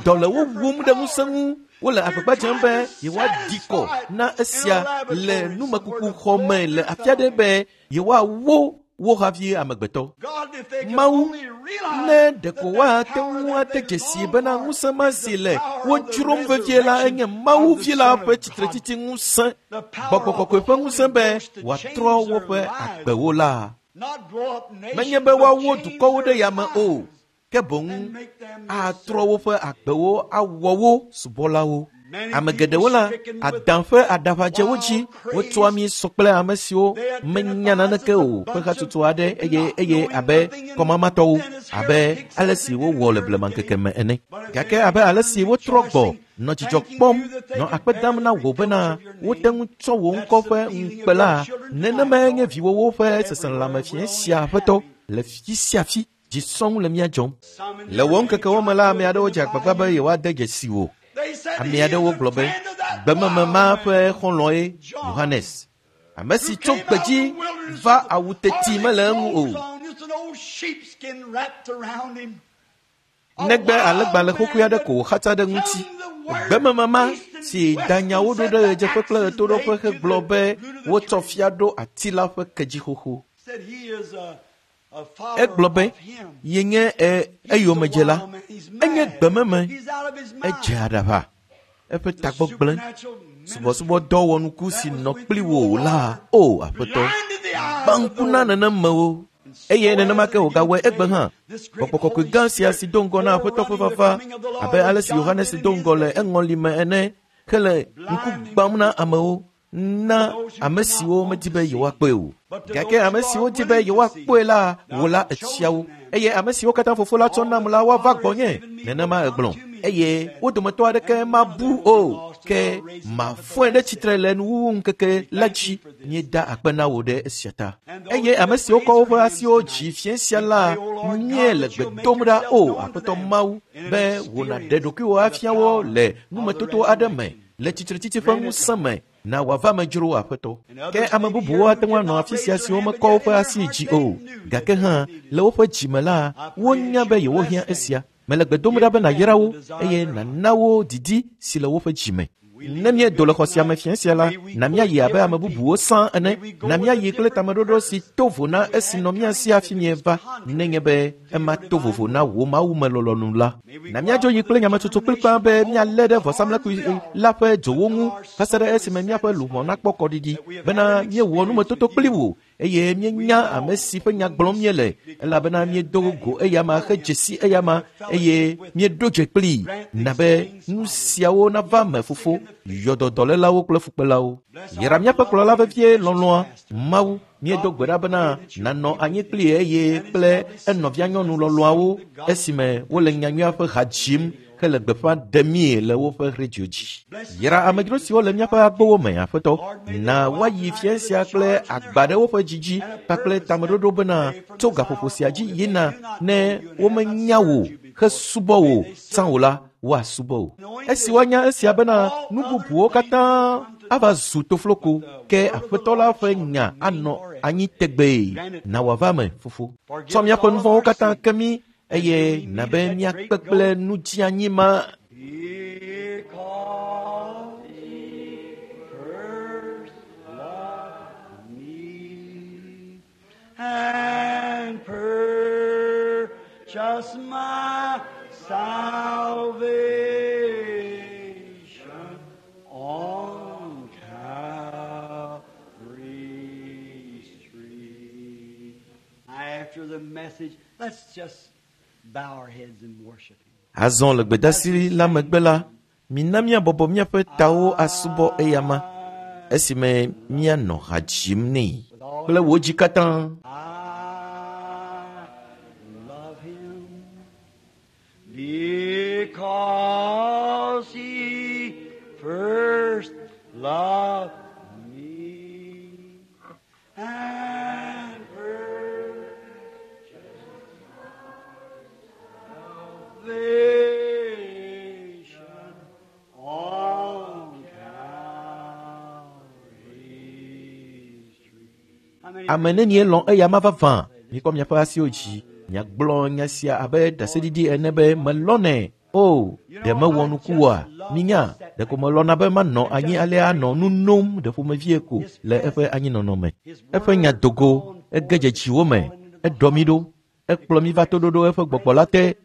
dɔ le wo wum ɖe ŋusẽ ŋu, wole agbagba dzem be yewoaɖi kɔ na esia le numekuku xɔ me le afi aɖe be yewoawo wo havi amegbetɔ. Mawu, ne ɖeko woate ŋu ate dzesi bena ŋusẽ ma si le wo dzrom vevie la enye Mawu vi la ƒe tsitretsitsi ŋusẽ, Gbɔgbɔ Kɔkɔe ƒe ŋusẽ be wòatrɔ woƒe agbewo la. Menye be woawo dukɔwo ɖe yame o, ke boŋ atrɔ woƒe agbewo awɔ wo subɔlawo. Ame geɖewo la, adã ƒe aɖaʋadze wo dzi, wotsɔa mí sɔ kple ame siwo menya naneke o ƒe hatsotso aɖe eye eye abe kɔmamatɔwo, abe ale si wowɔ le blemaŋkeke me ene. Gake abe ale si wotrɔ gbɔ nɔ dzidzɔ kpɔm, nɔ akpe dam na wò bena wote ŋu tsɔ wò ŋkɔ ƒe ŋukpe la, nenemae nye viwòwo ƒe seselelãme fiẽ sia Aƒetɔ le fi sia fi. Dzi sɔŋ le mía dzɔm. Le wò ŋkekewo me la, ame aɖewo dze agbagba be yewoade dzesi wò. Ame aɖewo gblɔ be gbememe ma ƒe xɔlɔ̃e Yohanes, ame si tso gbedzi va awu teti mele eŋu o. Negbe alẽgbalẽ xoxoe aɖe ko wòxatsa ɖe ŋuti. Gbememe ma si da nyawo ɖo ɖe ɣedzeƒe kple ɣetoɖoƒe hegblɔ be wotsɔ fia ɖo ati la ƒe ke dzi xoxo. Egblɔ be yenye eyomedzela. Enye gbememe, edze aɖaʋa, eƒe tagbɔ gblẽ. Subɔsubɔdɔ wɔnuku si nɔ kpli wò la, o Aƒetɔ, gbã ŋku na nenemewo. Eye nenema ke wògawɔe egbe hã. Gbɔgbɔ Kɔkɔe gã sia si do ŋgɔ na Aƒetɔ ƒe vava, abe ale si Yohanes do ŋgɔ le eŋɔli me ene, hele ŋku gbãm na amewo, na ame siwo medi be yewoakpɔe o. Gake ame siwo di be yewoakpɔe la, wò la etsia wo. Eye ame siwo katã Fofo la tsɔ nam la, woava gbɔnye. Nenema egblɔ. Eye wo dometɔ aɖeke mabu o, ke mafɔe ɖe tsitre le nuwuwu ŋkeke la dzi. Míeda akpe na wò ɖe esia ta. Eye ame siwo kɔ woƒe asiwo dzi fiẽ sia la, míele gbe dom ɖa o, Aƒetɔ Mawu, be wò nàɖe ɖokuiwò afia wo le numetoto aɖe me, le tsitretsitsi ƒe ŋusẽ me, na wòava me dzro Aƒetɔ. Ke ame bubuwo ate ŋu anɔ afi sia siwo mekɔ woƒe asi dzi o, gake hã le woƒe dzime la, wonya be yewohiã esia. Mele gbe dom ɖa be nàyra wo eye nàna wo didi si le woƒe dzime. Ne míedo le xɔ sia me fiẽ sia la, na míayi abe ame bubuwo sã ene. Na míayi kple tameɖoɖo si to vo na esi nɔ mía si hafi míeva, nenye be ema to vovo na wò mawumelɔlɔ̃nu la. Na míadzo yi kple nyametsotso kplikpaa be míalé ɖe vɔsamlekpui la ƒe dzowo ŋu va se ɖe esime míaƒe luʋɔ nakpɔ kɔɖiɖi bena míewɔ numetoto kpli wò eye míenya ame si ƒe nya gblɔm míele, elabena míedo go eyama hedze si eyama eye míeɖo dze kplii. Na be nu siawo nava me, Fofo, yɔ dɔlélawo kple fukpelawo. Yra míaƒe kplɔla vevie lɔlɔ̃a, Mawu, míedo gbe ɖa bena nànɔ anyi kplii eye kple enɔvia nyɔnu lɔlɔ̃awo esime wole nyanyuia ƒe ha dzim hele gbeƒã ɖemie le woƒe redio dzi. Yra amedzro siwo le míaƒe agbowo me, Aƒetɔ, na woayi fiẽ sia kple agba ɖe woƒe dzi dzi kpakple tameɖoɖo bena tso gaƒoƒo sia dzi yina ne womenya wò hesubɔ wò tsã o la, woasubɔ wò. Esi woanya esia bena nu bubuwo katã ava zu tofloko ke aƒetɔ la ƒe nya anɔ anyi tegbee. Na wòava me, fofo. Tsɔ míaƒe nu vɔ̃wo katã ke mí eye na be míakpe kple nudzianyi ma. Because he first loved me and purchased my salvation on Calvary's tree. After the message, let's just bow our heads and worship him. Azɔ le gbedasi la megbe la, mina míabɔbɔ míaƒe tawo asubɔ eyama esime míanɔ ha dzim nɛ kple wò dzi katã. I love him because he first loved me and purchased salvation on Calvary's tree. How many Ame nenie lɔ̃ eyama vavã? Mikɔ miaƒe asiwo dzi. Miagblɔ nya sia abe ɖaseɖiɖi ene be melɔ̃nɛ. O, ɖe mewɔ nuku oa? Minya, ɖeko melɔ̃na be manɔ anyi alea anɔ nu nom ɖe ƒomevie ko le eƒe anyinɔnɔ me. Eƒe nya dogo, ege dze dziwo me, eɖɔ mí ɖo, ekplɔ mí va toɖoɖo eƒe gbɔgbɔ la te.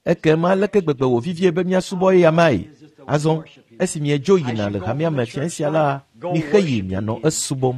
Ekema aleke gbegbe wò vivie be míasubɔ eyamae? Azɔ, esi miedzo yina le hamea me fiẽ sia la, mixe yi mianɔ esubɔm.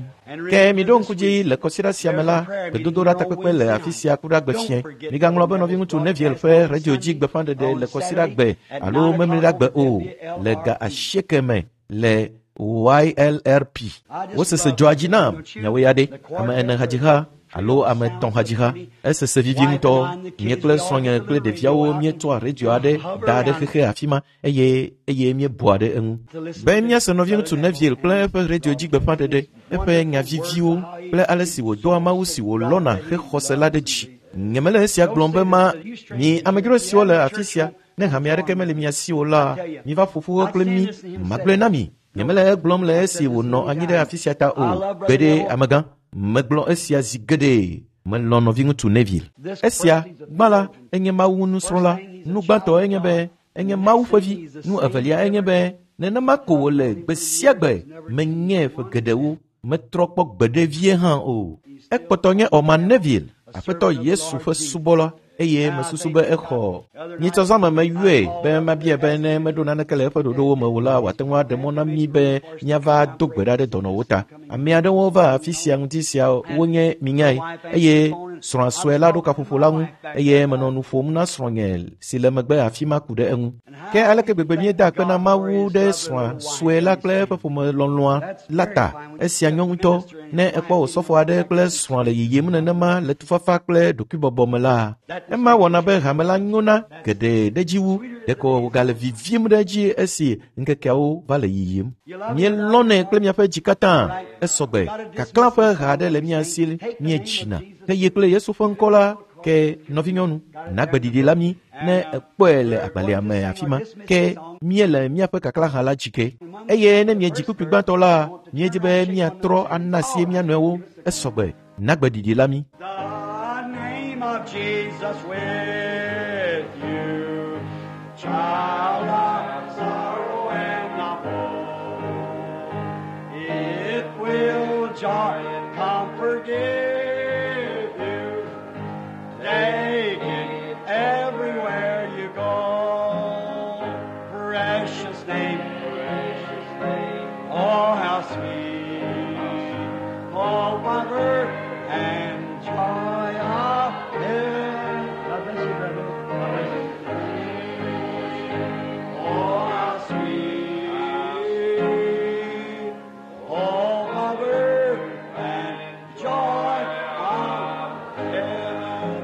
Ke miɖo ŋku dzi le kɔsiɖa sia me la, gbedodoɖa takpekpe le afi sia ku ɖe agbe fiẽ. Migaŋlɔ be nɔviŋutsu Neville ƒe radio dzi gbeƒãɖeɖe le kɔsiɖa gbe alo memleɖa gbe o le ga asieke me le Y L R P. Wosese dzɔa dzi nam miawo ya ɖe ame ene hadziha alo ame etɔ̃ hadziha. Esese vivi ŋutɔ. Nye kple srɔ̃nye kple ɖeviawo míetsɔa radio aɖe da ɖe xexe afi ma eye eye míebua ɖe eŋu. Be míase nɔviŋutsu Neville kple eƒe radio dzi gbeƒãɖeɖe, eƒe nya viviwo kple ale si wòdoa Mawu si wòlɔ̃na hexɔse la ɖe dzi. Nyemele esia gblɔm be ma mi amedzro siwo le afi sia, ne hame aɖeke mele mia si o la, miva ƒo ƒu kple mí, magblɔe na mi. Nyemele egblɔm le esi wònɔ anyi ɖe afi sia ta o. Gbeɖe amegã, megblɔ esia zi geɖe. Melɔ̃ nɔviŋutsu Neville. Esia, gbã la, enye Mawu nusrɔ̃la. Nu gbãtɔ enye be enye Mawu ƒe vi. Nu evelia enye be nenema ko wòle gbe sia gbe. Menye ƒe geɖewo, metrɔ kpɔ gbeɖe vie hã o. Ekpɔtɔ nye Orman Neville, Aƒetɔ Yesu ƒe subɔla, eye mesusu be exɔ. Nyitsɔzãme meyɔe be mabia be ne meɖo naneke le eƒe ɖoɖowo me o la, wòate ŋu aɖe mɔ na mí be míava do gbe ɖa ɖe dɔnɔwo ta. Ame aɖewo va afi sia ŋuti sia wonye minyae eye srɔ̃a sue la ɖo kaƒoƒo la ŋu eye menɔ nu ƒom na srɔ̃nye si le megbe afi ma ku ɖe eŋu. Ke aleke gbegbe míeda akpe na Mawu ɖe srɔ̃a sue la kple eƒe ƒomelɔlɔ̃a la ta. Esia nyɔ ŋutɔ. Ne ekpɔ osɔfo aɖe kple srɔ̃a le yiyim nenema le tufafa kple ɖokuibɔbɔ me la, ema wɔna be hame la nyona geɖe ɖe dzi wu. Ɖeko wògale vivim ɖe edzi esi ŋkekeawo va le yiyim. Míelɔ̃nɛ kple miaƒe dzi katã. Esɔgbe. Kaklã ƒe ha aɖe le mía si míedzina. Eye kple Yesu ƒe ŋkɔ la, ke nɔvinyɔnu, nagbeɖiɖi la mí ne ekpɔe le agbalẽa me afi ma. Ke míele míaƒe kaklã ha la dzi ke. Eye ne miedzi kpukpui gbãtɔ la, míedi be míatrɔ ana asi mía nɔewo. Esɔgbe. Nagbeɖiɖi la mí. The name of Jesus with you, child of sorrow and of woe. It will joy and comfort give you. Take it everywhere you go. Precious name, precious name. Oh, how sweet. Oh, comfort and joy of heaven. God bless you, brother. God bless you. Oh, how sweet. Oh, comfort and joy of heaven.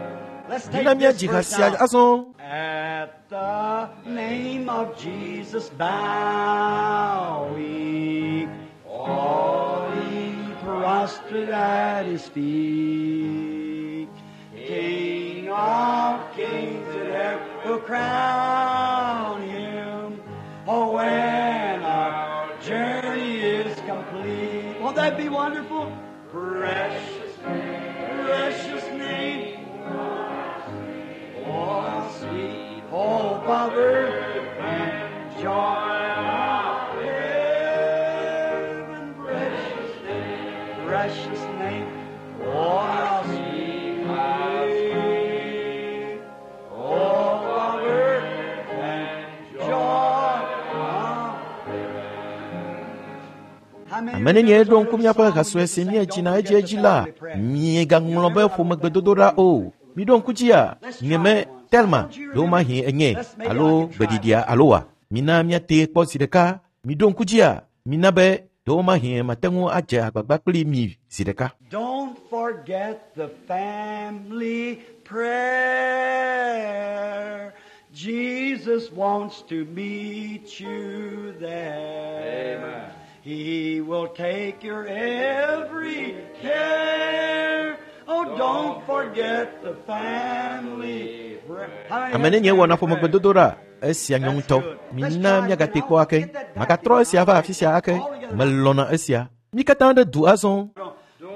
Let's take Mina this míadzi ha verse sia now. azɔ. At the name of Jesus bow we, all ye prostrate at his feet. King of kings and ever will crown him. Oh, when our journey is complete, complete. Won't that be wonderful? Precious name, precious name. Oh, how sweet hope of earth and joy of heaven. Precious name, precious name. Oh, how sweet, how sweet hope of earth and joy of heaven. Ame nenie ɖo ŋku míaƒe ha sue si míedzina edziedzi la, miegaŋlɔ be ƒomegbedodoɖa o. Miɖo ŋku dzia, nye me Telma, ɖewomahi enye alo gbeɖiɖia alo wa. Mina míate kpɔ zi ɖeka. Miɖo ŋku dzia, mina be ɖewomahi mate ŋu adze agbagba kpli mi zi ɖeka. Don't forget the family prayer. Jesus wants to meet you there. Amen. He will take your every care. Oh, don't forget the family prayer. How many Ame nenie wɔna ƒomegbedodoɖa, esia nyɔ ŋutɔ. Mina míagate kpɔ ake. Magatrɔ esia va afi sia ake. Melɔ̃na esia. Mí katã ɖe du azɔ.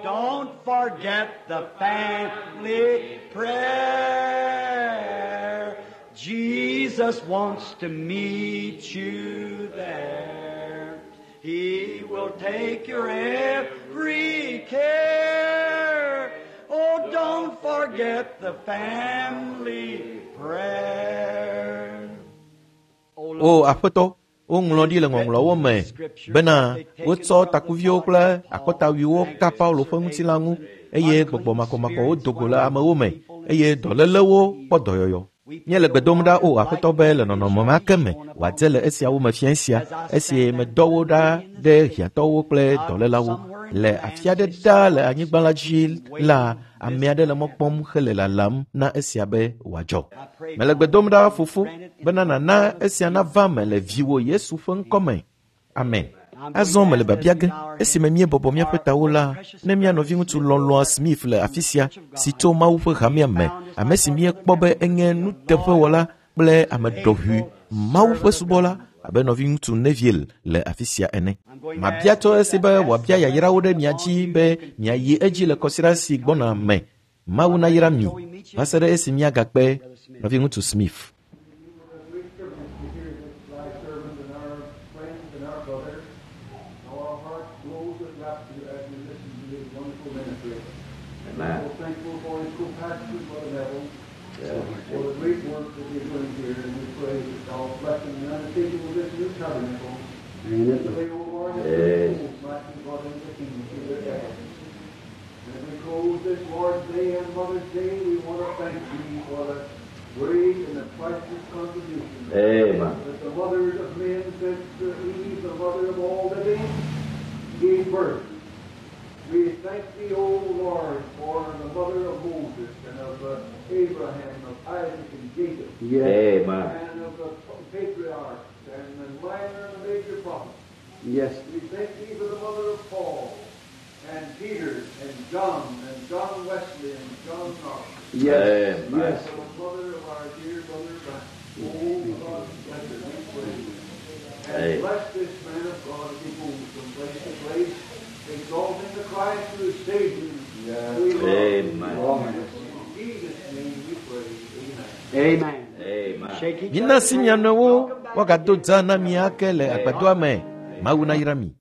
Don't forget the family prayer. Jesus wants to meet you there. He will take your every care. Oh, don't forget the family prayer. Oh, O aƒetɔ, woŋlɔ ɖi le ŋɔŋlɔwo me bena wotsɔ takuviwo kple akɔtawuiwo ka Paulo ƒe ŋutilã ŋu eye gbɔgbɔ makɔmakɔwo do go le amewo me eye dɔlélewo kpɔ dɔyɔyɔ. Míele gbe dom ɖa o aƒetɔ be le nɔnɔme ma ke me wòadze le esiawo me fia sia esi medɔ wo ɖa ɖe hiãtɔwo kple dɔlélawo. Le afi aɖe ɖaa le anyigba la dzi la, ame aɖe le mɔ kpɔm hele lalam na esia be wòadzɔ. Mele gbe dom ɖa fofo bena nàna esia nava me le viwò Yesu ƒe ŋkɔ me. Amen. Azɔ mele biabia ge esime míebɔbɔ míaƒe tawo la, ne mía nɔviŋutsu lɔlɔ̃a Smith le afi sia si tso Mawu ƒe hamea me, ame si míekpɔ be enye nuteƒewɔla kple ame ɖɔʋui, Mawu ƒe subɔla abe nɔviŋutsu Neville le afi sia ene. Mabia tso esi be wòabia yayrawo ɖe mia dzi be miayi edzi le kɔsiɖa si gbɔna me. Mawu nayra mi va se ɖe esi míagakpe nɔviŋutsu Smith. Great privilege to hear this thy servant and our friends and our brother. How our hearts glows with rapture as we listen to his wonderful ministry. Amen. So thankful for his co-pastor, Brother Neville, Yeah. for the great work that he's doing here, and we pray that thou bless him in the undertaking of this new tabernacle. Pray, O Lord, that Yes. the souls might be brought into the kingdom through their efforts. And as we close this Lord's Day and Mother's Day, we want to thank thee for the great and the priceless contribution Amen. that the mothers of men since Eve, the mother of all living, gave birth. We thank thee, O Lord, for the mother of Moses and of uh, Abraham, of Isaac and Jacob, Amen. and of the patriarchs and the minor and the major prophets. Yes. We thank thee for the mother of Paul and Peter and John and John Wesley and John Knox. Yes. Amen. Yes. For the mother of our dear brother Brian. Oh, God, bless her, we pray. And Amen. bless this man of God as he moves from place to place, exalting the Christ who is Savior. We love. Amen. In Jesus' name we pray. Amen. Amen. Amen. Shake each Mina other's si mia hand. nɔewo Welcome back woagado again. dza na mi ake le agbadɔa me. Mawu nayra mi.